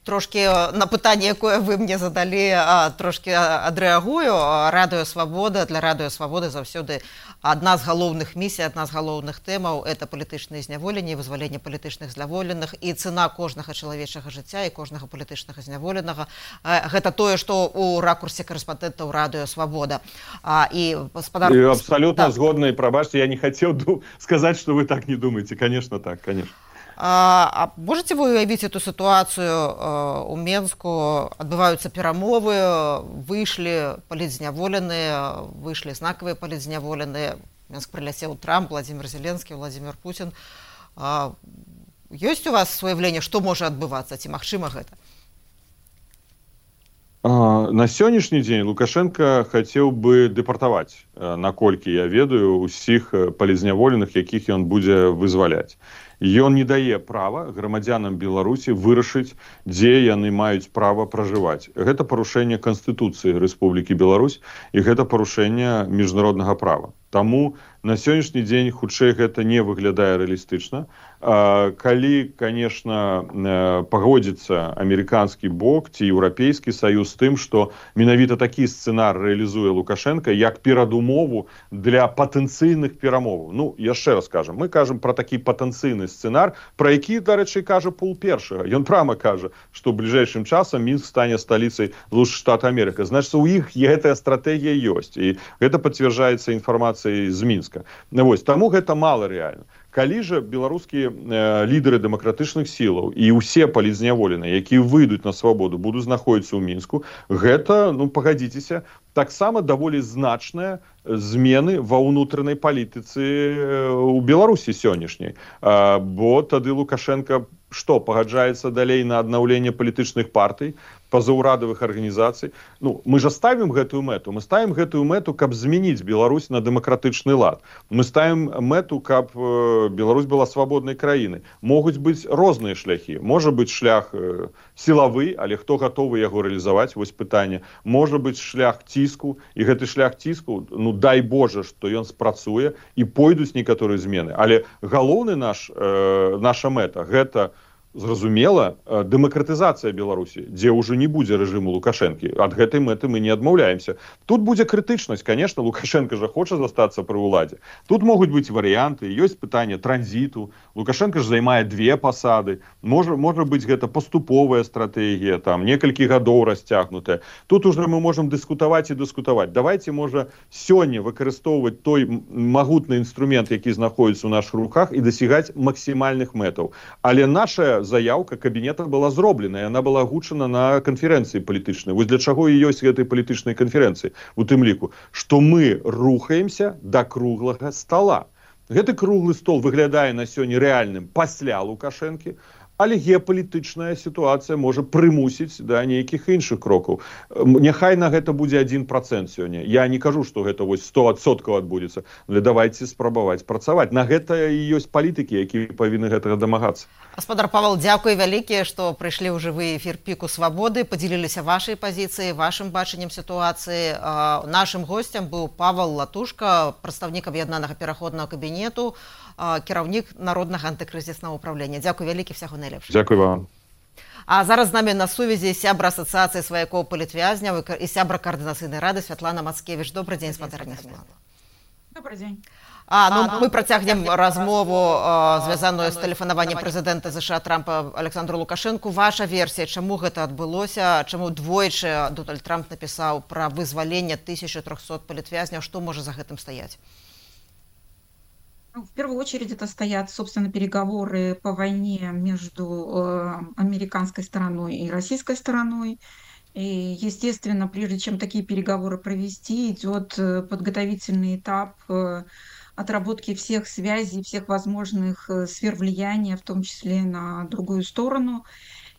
трошки на пытанне, якое вы мне задалі, трошки адрэагую. Радыё Свабода, для Радыё Свабоды заўсёды адна з галоўных місій, адна з галоўных тэмаў — это палітычнае зняволенне, вызваленне палітычных зняволеных і цана кожнага чалавечага жыцця і кожнага палітычнага зняволенага. Гэта тое, што ў ракурсе карэспандэнтаў Радыё Свабода. Абсолютно згодна, і прабачце, я не хацеў сказаць, што вы так не думаеце. Конечно, так, конечно. А можете вы уявить эту ситуацию? У Менску адбываюцца перамовы, выйшлі палітзняволеныя, выйшлі знакавыя палітзняволеныя. Менск прыляцеў Трамп, Владимир Зеленскі, Владимир Путин. Ёсць у вас суяўленне, што можа адбывацца, ці магчыма гэта? На сённяшні дзень Лукашенко хацеў бы дэпартаваць, наколькі я ведаю, усіх палітзняволеных, якіх ён будзе вызваляць. Ён не дае права грамадзянам Беларусі вырашыць, дзе яны маюць права пражываць. Гэта парушэнне Канстытуцыі Рэспублікі Беларусь і гэта парушэнне міжнароднага права. Таму на сённяшні дзень хутчэй гэта не выглядае рэалістычна. Калі, конечно, пагодзіцца амерыканскі бок ці еўрапейскі саюз з тым, што менавіта такі сцэнар рэалізуе Лукашенко як перадумову для патэнцыйных перамоваў. Ну, яшчэ раз кажам, мы кажам пра такі патэнцыйны сцэнар, пра які, дарэчы, кажа Пул першага. Ён прямо кажа, што бліжэйшым часам Мінск стане сталіцай Злучаных Штатаў Амерыкі. Значыць, у іх гэтая стратэгія ёсць, і гэта пацвярджаецца інфармацыяй з Мінска. Вось, таму гэта мала рэальна. Калі жа беларускія лідары дэмакратычных сілаў і ўсе палітзняволеныя, якія выйдуць на свабоду, будуць знаходзіцца ў Мінску, гэта, ну, пагадзіцеся, таксама даволі значныя змены ва ўнутранай палітыцы ў Беларусі сённяшняй. Бо тады Лукашенко што, пагаджаецца далей на аднаўленне палітычных партый, пазаўрадавых арганізацый. Ну, мы ж ставім гэтую мэту. Мы ставім гэтую мэту, каб змяніць Беларусь на дэмакратычны лад. Мы ставім мэту, каб Беларусь была свабоднай краінай. Могуць быць розныя шляхі. Можа быць шлях сілавы, але хто гатовы яго рэалізаваць? Вось пытанне. Можа быць шлях ціску, і гэты шлях ціску, ну, дай Божа, што ён спрацуе, і пойдуць некаторыя змены. Але галоўны наша мэта — гэта зразумела, дэмакратызацыя Беларусі, дзе ўжо не будзе рэжыму Лукашэнкі. Ад гэтай мэты мы не адмаўляемся. Тут будзе крытычнасць, конечно, Лукашенко жа хоча застацца пры ўладзе. Тут могуць быць варыянты, ёсць пытанне транзіту. Лукашенко ж займае 2 пасады. Можа быць гэта паступовая стратэгія, там некалькі гадоў расцягнутая. Тут уже мы можам дыскутаваць і дыскутаваць. Давайте, можа, сёння выкарыстоўваць той магутны інструмент, які знаходзіцца ў нашых руках, і дасягаць максімальных мэтаў. Але наша заявка кабінета была зроблена, яна была агучана на канферэнцыі палітычнай. Вось для чаго і ёсць гэтай палітычнай канферэнцыі, у тым ліку, што мы рухаемся да круглага стола. Гэты круглы стол выглядае на сёння рэальным пасля Лукашэнкі, але геапалітычная сітуацыя можа прымусіць да нейкіх іншых крокаў. Няхай на гэта будзе 1% сёння. Я не кажу, што гэта вось 100% адбудзецца, але давайте спрабаваць працаваць. На гэта і ёсць палітыкі, якія павінны гэтага дамагацца. Гаспадар Павел, дзякуй вялікія, што прыйшлі ў жывы эфір Піку Свабоды, падзяліліся вашай пазіцыяй, вашым бачаннем сітуацыі. Нашым госцем быў Павел Латушка, прадстаўнік аб'яднанага пераходнага кабінету, кіраўнік народнага антыкрызіснага ўправлення. Дзякуй вялікі, всяго найлепшага. Дзякуй вам. А зараз з намі на сувязі сябра асацыяцыі сваякоў палітвязняў і сябра каардынацыйнай рады Святлана Мацкевіч. Добрый дзень, спадарня Святлана. Добрый дзень. Мы працягнем размову, звязаную з тэлефанаваннем прэзідэнта ЗША Трампа Александру Лукашэнку. Ваша версія, чаму гэта адбылося, чаму двойчы Дональд Трамп напісаў пра вызваленне 1300 палітвязняў, што можа за гэтым стаяць? В первую очередь это стоят, собственно, переговоры по войне между американской стороной и российской стороной. И, естественно, прежде чем такие переговоры провести, идет подготовительный этап отработки всех связей, всех возможных сфер влияния, в том числе на другую сторону.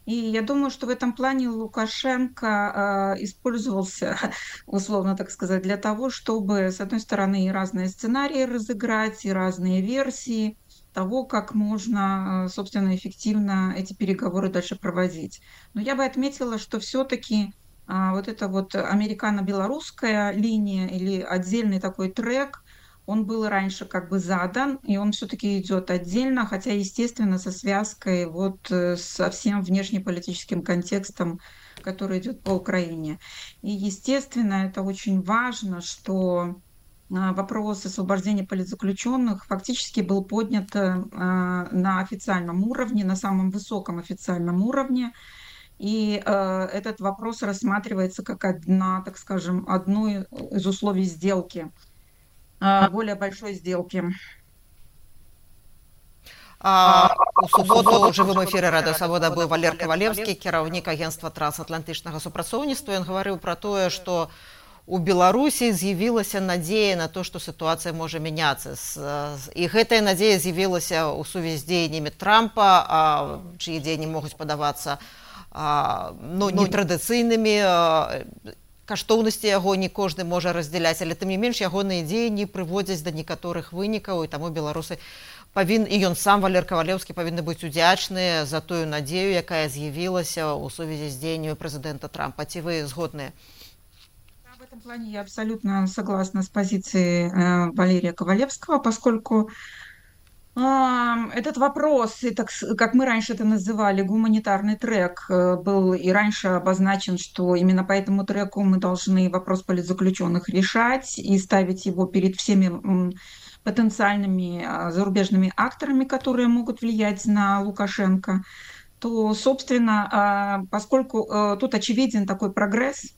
И я думаю, что в этом плане Лукашенко использовался, условно так сказать, для того, чтобы, с одной стороны, и разные сценарии разыграть, и разные версии того, как можно, собственно, эффективно эти переговоры дальше проводить. Но я бы отметила, что все-таки вот эта вот американо-белорусская линия или отдельный такой трек, он был раньше как бы задан, и он все-таки идет отдельно, хотя, естественно, со связкой вот со всем внешнеполитическим контекстом, который идет по Украине. И, естественно, это очень важно, что вопрос освобождения политзаключенных фактически был поднят на официальном уровне, на самом высоком официальном уровне. И этот вопрос рассматривается как одно из условий сделки, более большой сделки. У суботу ў жывым эфіры Радыё Свабода быў Валер Кавалевскі, кіраўнік агенцтва трансатлантычнага супрацоўніцтва. Ён гаварыў пра тое, што у Беларусі з'явілася надзея на то, што сітуацыя можа мяняцца. І гэтая надзея з'явілася ў сувязі з дзеяннямі Трампа, чые дзеянні могуць падавацца нетрадыцыйнымі. Каштоўнасці яго не кожны можа раздзяляць, але тым не менш ягоныя дзеянні прыводзяць да некаторых вынікаў, і таму беларусы і ён сам, Валер Кавалевскі, павінны быць удзячныя за тую надзею, якая з'явілася ў сувязі з дзеяннямі прэзідэнта Трампа. Ці вы згодныя? В этом плане я абсолютно согласна с позицией Валерия Ковалевского, поскольку этот вопрос, и так, как мы раньше это называли, гуманитарный трек, был и раньше обозначен, что именно по этому треку мы должны вопрос политзаключенных решать и ставить его перед всеми потенциальными зарубежными акторами, которые могут влиять на Лукашенко, то, собственно, поскольку тут очевиден такой прогресс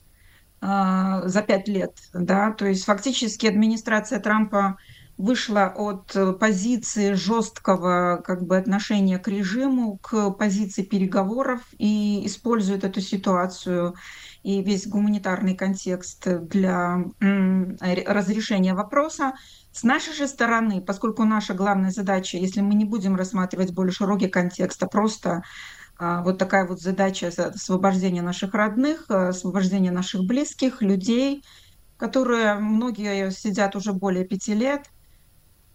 за 5 лет, да, то есть фактически администрация Трампа вышла от позиции жесткого отношения к режиму к позиции переговоров и использует эту ситуацию и весь гуманитарный контекст для разрешения вопроса. С нашей же стороны, поскольку наша главная задача, если мы не будем рассматривать более широкий контекст, а просто вот такая вот задача освобождения наших родных, освобождения наших близких, людей, которые многие сидят уже более 5 лет,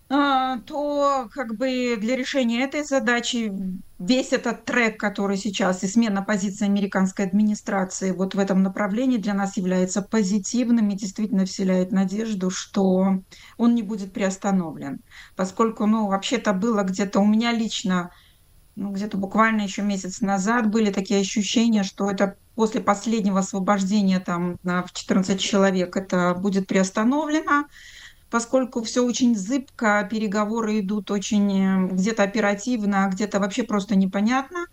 то для решения этой задачи весь этот трек, который сейчас, и смена позиции американской администрации вот в этом направлении для нас является позитивным и действительно вселяет надежду, что он не будет приостановлен. Поскольку, вообще-то было где-то у меня лично ну, где-то буквально еще месяц назад были такие ощущения, что это после последнего освобождения там в 14 человек это будет приостановлено, поскольку все очень зыбко, переговоры идут очень где-то оперативно, а где-то вообще просто непонятно,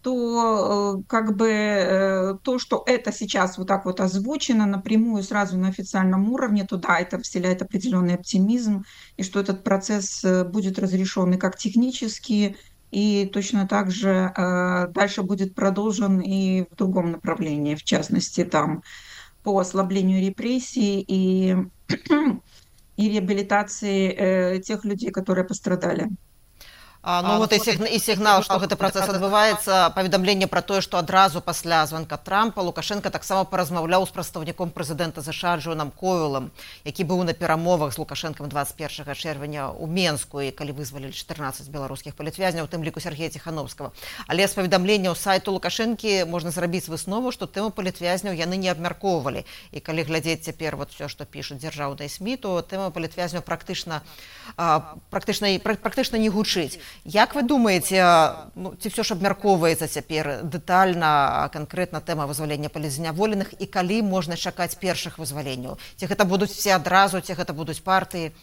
то как бы то, что это сейчас вот так вот озвучено напрямую сразу на официальном уровне, то да, это вселяет определенный оптимизм, и что этот процесс будет разрешен и как технически, и точно так же дальше будет продолжен и в другом направлении, в частности, там по ослаблению репрессий и, и реабилитации тех людей, которые пострадали. Ну вот і сігнал, што гэты працэс адбываецца, паведамленне пра тое, што адразу пасля званка Трампа Лукашенко таксама паразмаўляў з прадстаўніком прэзідэнта ЗША Джонам Коўэлам, які быў на перамовах з Лукашэнкам 21 чэрвеня ў Менску, і калі вызвалілі 14 беларускіх палітвязняў, у тым ліку Сергея Ціхановскага. Але з паведамленняў сайту Лукашэнкі можна зрабіць выснову, што тэму палітвязняў яны не абмяркоўвалі. І калі глядзець цяпер вот все, што пішуць дзяржаўныя СМІ, то тэма палітвязняў практычна не гучыць. Як вы думаеце, ці все ж абмяркоўваецца цяпер дэтальна, канкрэтна тэма вызвалення палітзняволеных, і калі можна чакаць першых вызваленняў? Ці гэта будуць все адразу, ці гэта будуць партыі?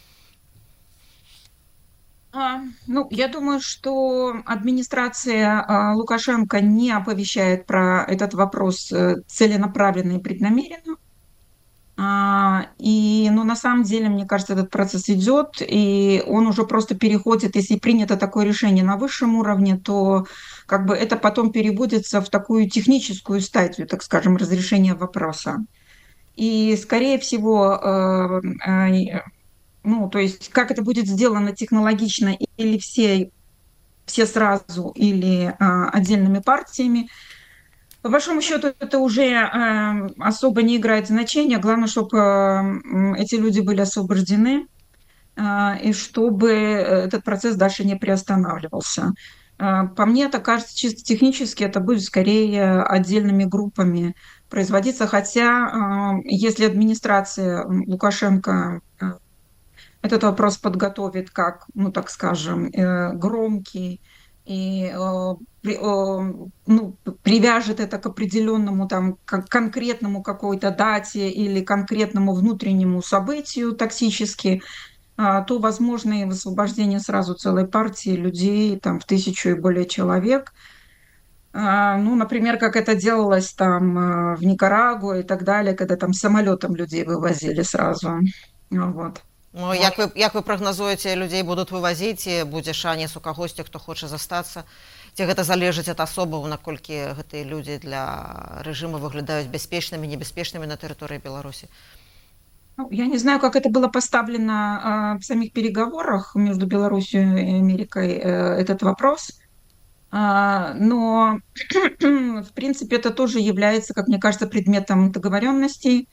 Ну, я думаю, что администрация Лукашенко не оповещает про этот вопрос целенаправленно и преднамеренно. Ну, на самом деле, мне кажется, этот процесс идет, и он уже просто переходит, если принято такое решение на высшем уровне, то как бы это потом переводится в такую техническую стадию, так скажем, разрешения вопроса. И, скорее всего, ну, то есть, как это будет сделано технологично, или все сразу, или отдельными партиями, по большому счету, это уже особо не играет значения. Главное, чтобы эти люди были освобождены, и чтобы этот процесс дальше не приостанавливался. По мне, это кажется, чисто технически это будет скорее отдельными группами производиться, хотя если администрация Лукашенко этот вопрос подготовит как, ну, так скажем, громкий, и ну, привяжет это к определенному там конкретному какой-то дате или конкретному внутреннему событию токсически, то возможно и высвобождение сразу целой партии людей, там в 1000 и более человек. Ну, например, как это делалось там в Никарагуа и так далее, когда там самолетом людей вывозили сразу. Вот. Ну, як вы прагназуеце, людзей будуць вывазіць, і будзе шанец у кагосьці, хто хоча застацца? Ці гэта залежыць ад асобаў, наколькі гэтыя людзі для рэжыму выглядаюць бяспечнымі, небяспечнымі на тэрыторыі Беларусі? Ну, я не знаю, как это было поставлено в самих переговорах между Беларусью и Америкой, этот вопрос. Но, в принципе, это тоже является, как мне кажется, предметом договоренностей.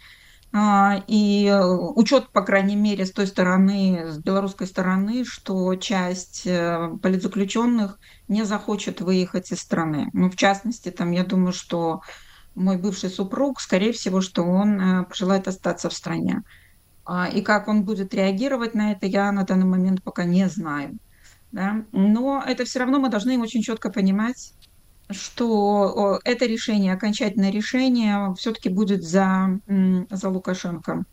И учет, по крайней мере, с той стороны, с белорусской стороны, что часть политзаключенных не захочет выехать из страны. Ну, в частности, там, я думаю, что мой бывший супруг, скорее всего, что он пожелает остаться в стране. И как он будет реагировать на это, я на данный момент пока не знаю. Да? Но это все равно мы должны очень четко понимать, что это решение, окончательное решение все-таки будет за Лукашенко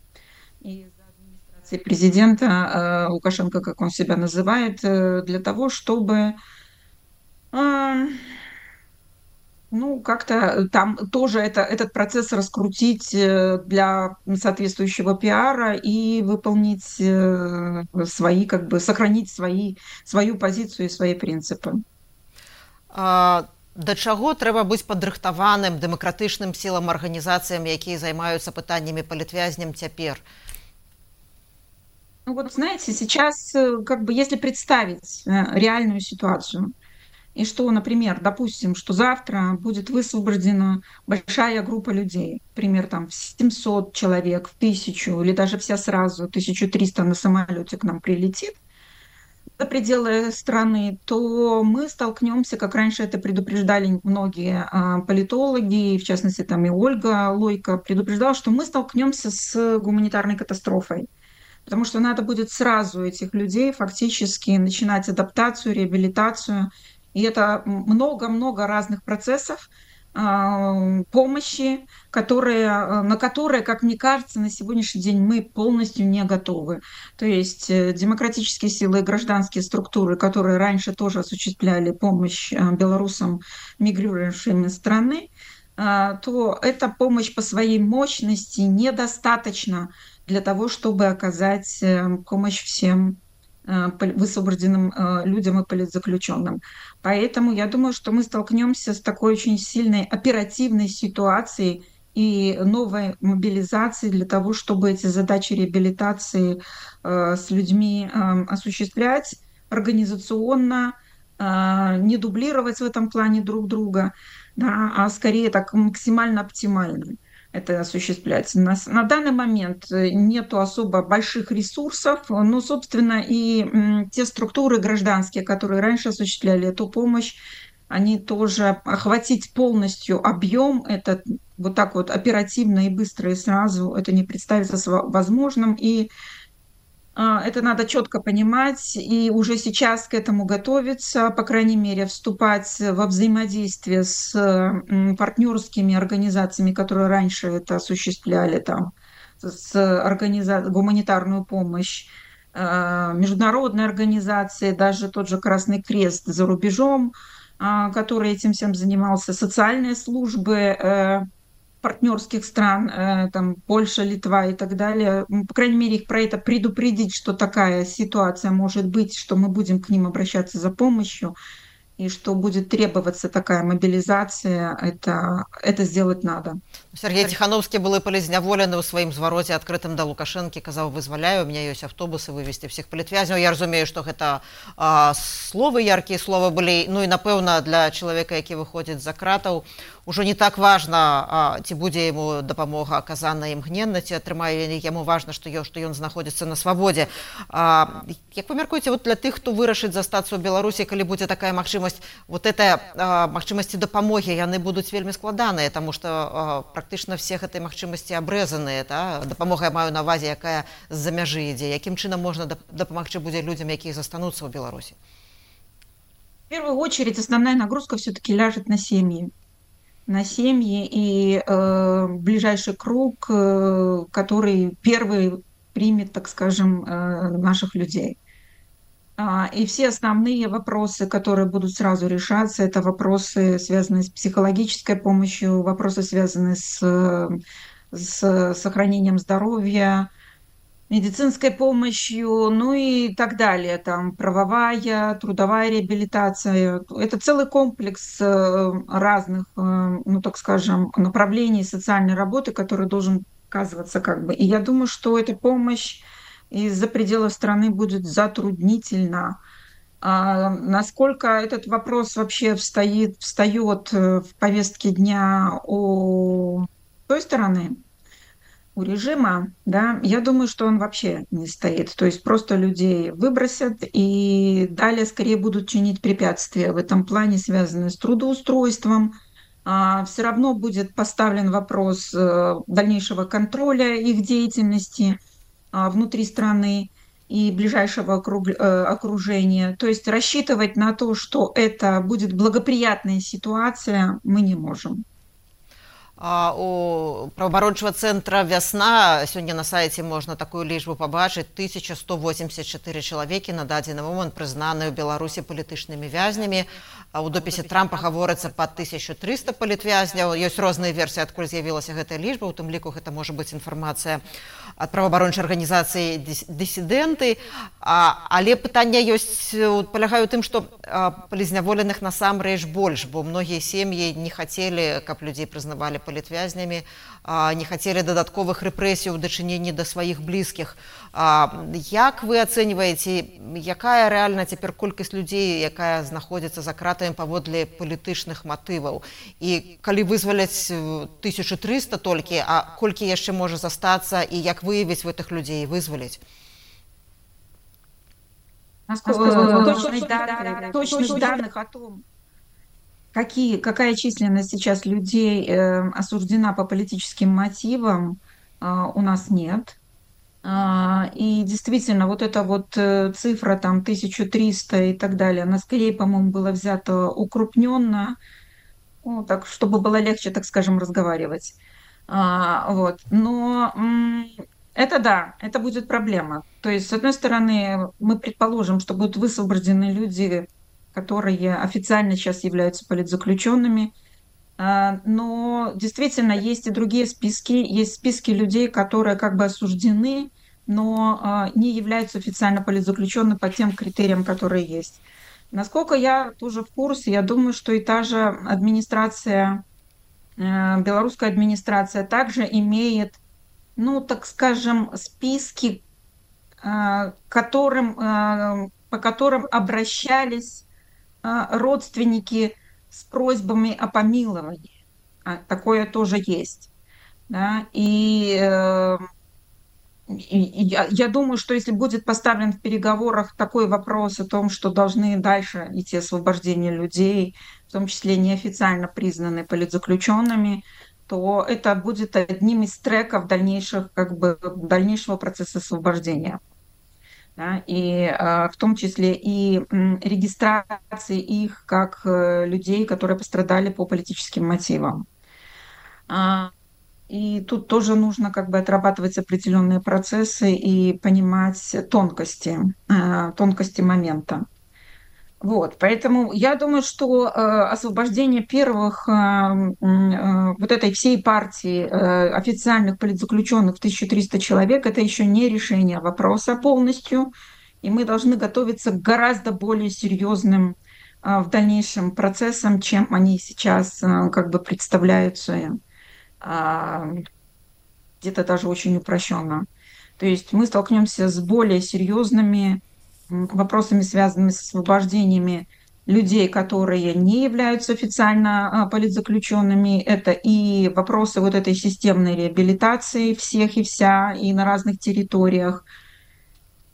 и за администрацией президента Лукашенко, как он себя называет, для того, чтобы ну, как-то там тоже этот процесс раскрутить для соответствующего пиара и выполнить свои, как бы сохранить свою позицию и свои принципы. Да чаго трэба быць падрыхтаваным дэмакратычным сілам, арганізацыям, якія займаюцца пытаннямі палітвязням цяпер? Ну вот, знаете, сейчас, как бы, если представить реальную ситуацию, и что, например, допустим, что завтра будет высвобождена большая группа людей, например, там 700 человек, в 1000, или даже вся сразу, 1300 на самолете к нам прилетит, за пределы страны, то мы столкнемся, как раньше это предупреждали многие политологи, в частности, там и Ольга Лойко предупреждала, что мы столкнемся с гуманитарной катастрофой, потому что надо будет сразу этих людей фактически начинать адаптацию, реабилитацию, И это много-много разных процессов помощи, на которые, как мне кажется, на сегодняшний день мы полностью не готовы. То есть демократические силы и гражданские структуры, которые раньше тоже осуществляли помощь белорусам, мигрирующим из страны, то эта помощь по своей мощности недостаточна для того, чтобы оказать помощь всем высвобожденным людям и политзаключенным. Поэтому я думаю, что мы столкнемся с такой очень сильной оперативной ситуацией и новой мобилизацией для того, чтобы эти задачи реабилитации с людьми осуществлять организационно, не дублировать в этом плане друг друга, да, а скорее так максимально оптимально это осуществлять. На данный момент нету особо больших ресурсов, но, собственно, и те структуры гражданские, которые раньше осуществляли эту помощь, они тоже охватить полностью объем, это вот так вот оперативно и быстро и сразу, это не представится возможным, и это надо четко понимать и уже сейчас к этому готовиться, по крайней мере, вступать во взаимодействие с партнерскими организациями, которые раньше это осуществляли, там, гуманитарную помощь, международные организации, даже тот же Красный Крест за рубежом, который этим всем занимался, социальные службы партнерских стран, там Польша, Литва и так далее, по крайней мере, их про это предупредить, что такая ситуация может быть, что мы будем к ним обращаться за помощью, и что будет требоваться такая мобилизация, это сделать надо. Сергей Тихановский был палізняволены ў сваім звароце адкрытым да Лукашэнкі, казаў, вызваляю, у меня ёсць аўтобусы, вывезці всіх палітвязняў. Я разумею, што гэта словы, яркія словы былі, ну і напэўна для чалавека, які выходзіць за кратаў, ужо не так важна, ці будзе яму дапамога аказана імгненна, ці атрымае яму важна, што ён знаходзіцца на свабодзе. Як вы мяркуеце, вот для тых, хто вырашыць застацца ў Беларусі, калі будзе такая магчымасць, вот это магчымасці дапамогі, яны будуць вельмі складаныя, таму што практычна все гэтай магчымасці абрэзаныя, дапамога я маю на ўвазе, якая з-за мяжы ідзе. Якім чынам можна дапамагчы будзе людзям, якія застануцца ў Беларусі? В первую очередь основная нагрузка все-таки ляжет на семьи. На семьи и ближайший круг, который первый примет, так скажем, наших людей. И все основные вопросы, которые будут сразу решаться, это вопросы, связанные с психологической помощью, вопросы, связанные с сохранением здоровья, медицинской помощью, ну и так далее, там правовая, трудовая реабилитация. Это целый комплекс разных, ну так скажем, направлений социальной работы, который должен оказываться как бы. И я думаю, что эта помощь из-за пределов страны будет затруднительна. Насколько этот вопрос вообще встает в повестке дня у той стороны, у режима, да, я думаю, что он вообще не стоит. То есть просто людей выбросят и далее скорее будут чинить препятствия в этом плане, связанные с трудоустройством. Все равно будет поставлен вопрос дальнейшего контроля их деятельности внутри страны и ближайшего окружения. То есть рассчитывать на то, что это будет благоприятная ситуация, мы не можем. У праваабарончага цэнтра «Вясна» сёння на сайце можна такую лічбу пабачыць. 1184 чалавекі на дадзены момант прызнаныя ў Беларусі палітычнымі вязнямі. У допісе Трампа гаворыцца па 1300 палітвязняў. Ёсць розныя версіі, адкуль з'явілася гэтая лічба. У тым ліку гэта можа быць інфармацыя ад праваабарончай арганізацыі «Дысідэнты». Але пытанне палягае ў тым, што палізняволеных насамрэч больш, бо многія сем'і не хацелі, каб людзей прызнавалі палітвязнямі, не хацелі дадатковых рэпрэсій у дачыненні да сваіх блізкіх. Як вы ацэньваеце, якая рэальна цяпер колькасць людзей, якая знаходзіцца за кратамі паводле палітычных матываў? І калі вызваляць 1300 толькі, а колькі яшчэ можа застацца, і як выявіць гэтых людзей і вызваліць? Точных данных о том, какая численность сейчас людей осуждена по политическим мотивам, у нас нет. И действительно, вот эта вот цифра там 1300 и так далее, она скорее, по-моему, была взята укрупненно, ну, так, чтобы было легче, так скажем, разговаривать. Вот. Но это да, это будет проблема. То есть, с одной стороны, мы предположим, что будут высвобождены люди, которые официально сейчас являются политзаключенными, но действительно есть и другие списки, есть списки людей, которые как бы осуждены, но не являются официально политзаключенными по тем критериям, которые есть. Насколько я тоже в курсе, я думаю, что и та же администрация, белорусская администрация также имеет, ну, так скажем, списки, по которым обращались родственники с просьбами о помиловании. Такое тоже есть. Да? Я думаю, что если будет поставлен в переговорах такой вопрос о том, что должны дальше идти освобождение людей, в том числе неофициально признанные политзаключенными, то это будет одним из треков дальнейших, как бы, дальнейшего процесса освобождения. Да, в том числе и регистрации их как людей, которые пострадали по политическим мотивам. И тут тоже нужно как бы отрабатывать определенные процессы и понимать тонкости момента. Вот, поэтому я думаю, что освобождение первых вот этой всей партии официальных политзаключенных в 1300 человек – это еще не решение вопроса полностью, и мы должны готовиться к гораздо более серьезным в дальнейшем процессам, чем они сейчас как бы представляются, где-то даже очень упрощенно. То есть мы столкнемся с более серьезными вопросами, связанными с освобождениями людей, которые не являются официально политзаключенными. Это и вопросы вот этой системной реабилитации всех и вся, и на разных территориях.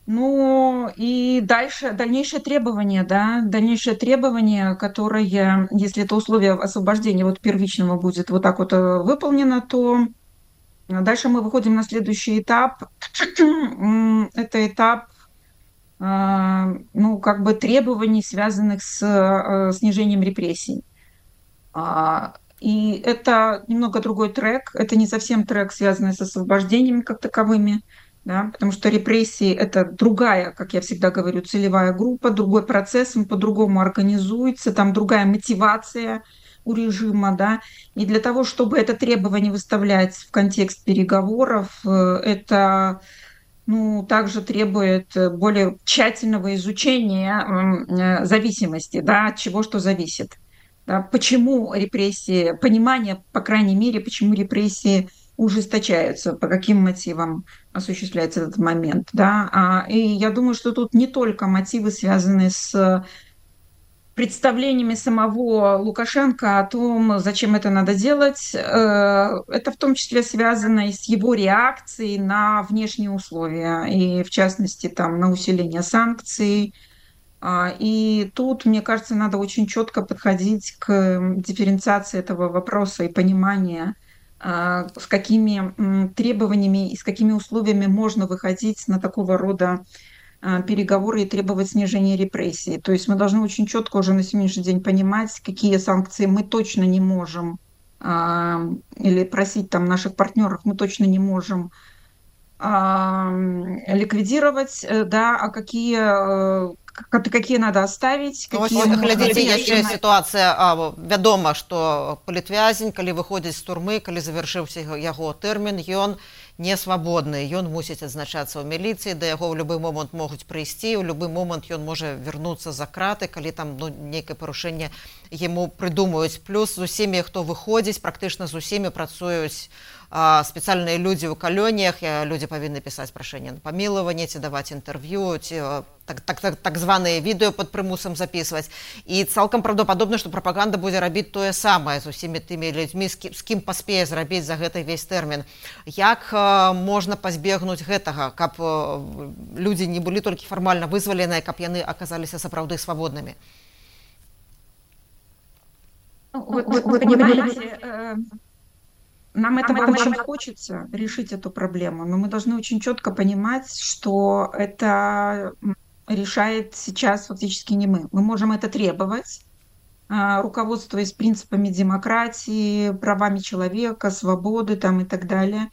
Ну и дальнейшее требование, да, дальнейшее требование, которое, если это условие освобождения вот первичного будет вот так вот выполнено, то дальше мы выходим на следующий этап. Это этап, ну, как бы требований, связанных с снижением репрессий. И это немного другой трек. Это не совсем трек, связанный с освобождениями как таковыми, да, потому что репрессии – это другая, как я всегда говорю, целевая группа, другой процесс, он по-другому организуется, там другая мотивация у режима, да, и для того, чтобы это требование выставлять в контекст переговоров, это, ну, также требует более тщательного изучения зависимости, да, от чего что зависит. Да, почему репрессии, понимание, по крайней мере, почему репрессии ужесточаются, по каким мотивам осуществляется этот момент. Да? И я думаю, что тут не только мотивы, связанные с представлениями самого Лукашенко о том, зачем это надо делать. Это в том числе связано и с его реакцией на внешние условия, и в частности там, на усиление санкций. И тут, мне кажется, надо очень четко подходить к дифференциации этого вопроса и понимания, с какими требованиями и с какими условиями можно выходить на такого рода переговоры и требовать снижения репрессий. То есть мы должны очень четко уже на сегодняшний день понимать, какие санкции мы точно не можем, или просить там наших партнеров мы точно не можем ликвидировать, да, а какие надо оставить, какие глядзіце, яшчэ сітуацыя вядома, што палітвязень, калі выходзіць з турмы, калі завяршыўся яго тэрмін, ён не свабодны, ён мусіць адзначацца ў міліцыі, да яго ў любы момант могуць прыйсці, у любы момант ён можа вярнуцца за краты, калі там нейкае парушэнне яму прыдумаюць. Плюс з усімі, хто выходзіць, практычна з усімі працуюць спецыяльныя людзі ў калоніях, людзі павінны пісаць прашэнне на памілаванне, ці даваць інтэрв'ю, ці так званыя відэо пад прымусам запісваць. І цалкам праўдападобна, што прапаганда будзе рабіць тое самае з усімі тымі людзьмі, з кім паспее зрабіць за гэты весь тэрмін. Як можна пазбегнуць гэтага, каб людзі не былі толькі фармальна вызваленыя, каб яны аказаліся сапраўды свабоднымі? Вы понимаете, Нам этого очень хочется, решить эту проблему, но мы должны очень четко понимать, что это решает сейчас фактически не мы. Мы можем это требовать, руководствуясь принципами демократии, правами человека, свободы там, и так далее.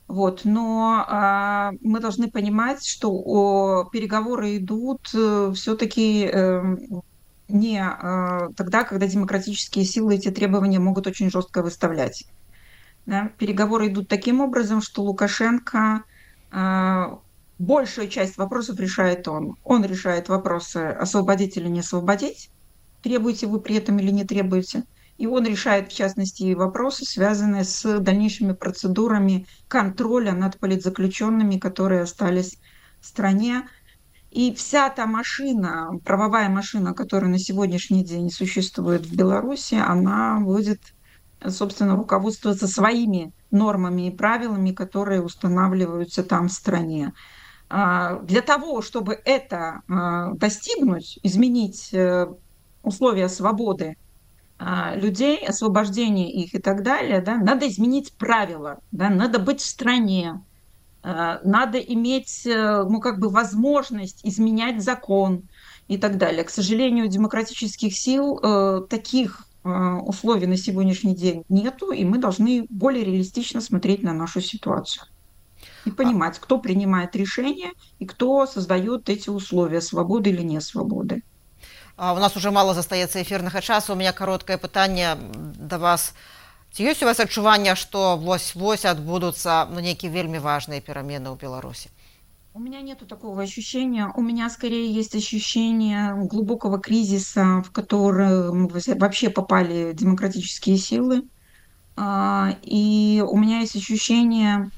Вот. Но мы должны понимать, что переговоры идут все-таки не тогда, когда демократические силы эти требования могут очень жестко выставлять. Да? Переговоры идут таким образом, что Лукашенко большую часть вопросов решает он. Он решает вопросы освободить или не освободить, требуете вы при этом или не требуете. И он решает, в частности, вопросы, связанные с дальнейшими процедурами контроля над политзаключенными, которые остались в стране. И вся та машина, правовая машина, которая на сегодняшний день существует в Беларуси, она будет, собственно, руководствоваться своими нормами и правилами, которые устанавливаются там в стране. Для того, чтобы это достигнуть, изменить условия свободы людей, освобождения их и так далее, да, надо изменить правила, да, надо быть в стране, надо иметь возможность изменять закон и так далее. К сожалению, у демократических сил таких условий на сегодняшний день нету, и мы должны более реалистично смотреть на нашу ситуацию и понимать, кто принимает решения и кто создает эти условия, свободы или не свободы. У нас уже мало застаецца эфірнага часу. У меня кароткае пытанне да вас. Ці ёсць у вас адчуванне, што вось-вось адбудуцца нейкія вельмі важныя перамены ў Беларусі? У меня нету такого ощущения. У меня скорее есть ощущение глубокого кризиса, в который вообще попали демократические силы. И у меня есть ощущение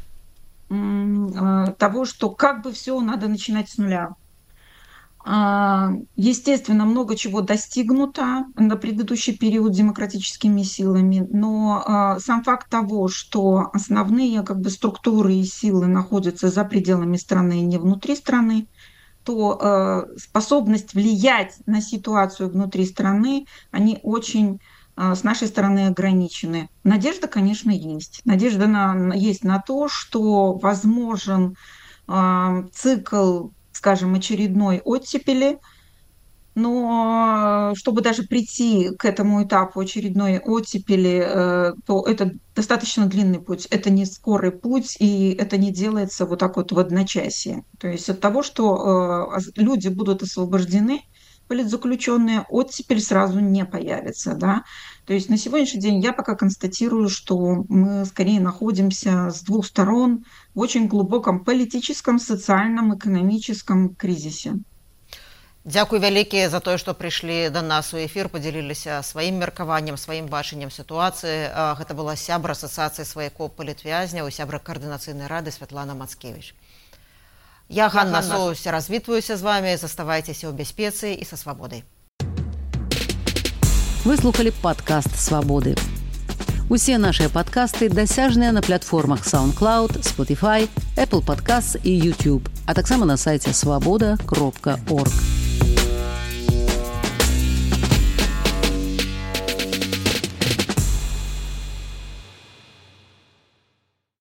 того, что как бы все надо начинать с нуля. Естественно, много чего достигнуто на предыдущий период демократическими силами, но сам факт того, что основные структуры и силы находятся за пределами страны, не внутри страны, то способность влиять на ситуацию внутри страны, они очень с нашей стороны ограничены. Надежда, конечно, есть. Надежда есть на то, что возможен цикл, скажем, очередной оттепели, но чтобы даже прийти к этому этапу очередной оттепели, то это достаточно длинный путь, это не скорый путь, и это не делается вот так вот в одночасье. То есть от того, что люди будут освобождены, политзаключенные, оттепель сразу не появится. Да? То есть на сегодняшний день я пока констатирую, что мы скорее находимся с двух сторон в очень глубоком политическом, социальном, экономическом кризисе. Дзякуй вялікі за тое, што прыйшлі да нас у эфір, падзяліліся сваім меркаваннем, сваім бачаннем сітуацыі. Гэта была сябра асацыяцыі сваякоў палітвязняў, сябра каардынацыйнай рады Святлана Мацкевіч. Я, Ганна Соус, развітваюся з вами. Заставайцеся ў бяспецы і са свабодай. Вы слухали падкаст «Свабоды». Усе нашыя падкасты дасяжныя на платформах SoundCloud, Spotify, Apple Podcasts і YouTube, а таксама на сайце swaboda.org.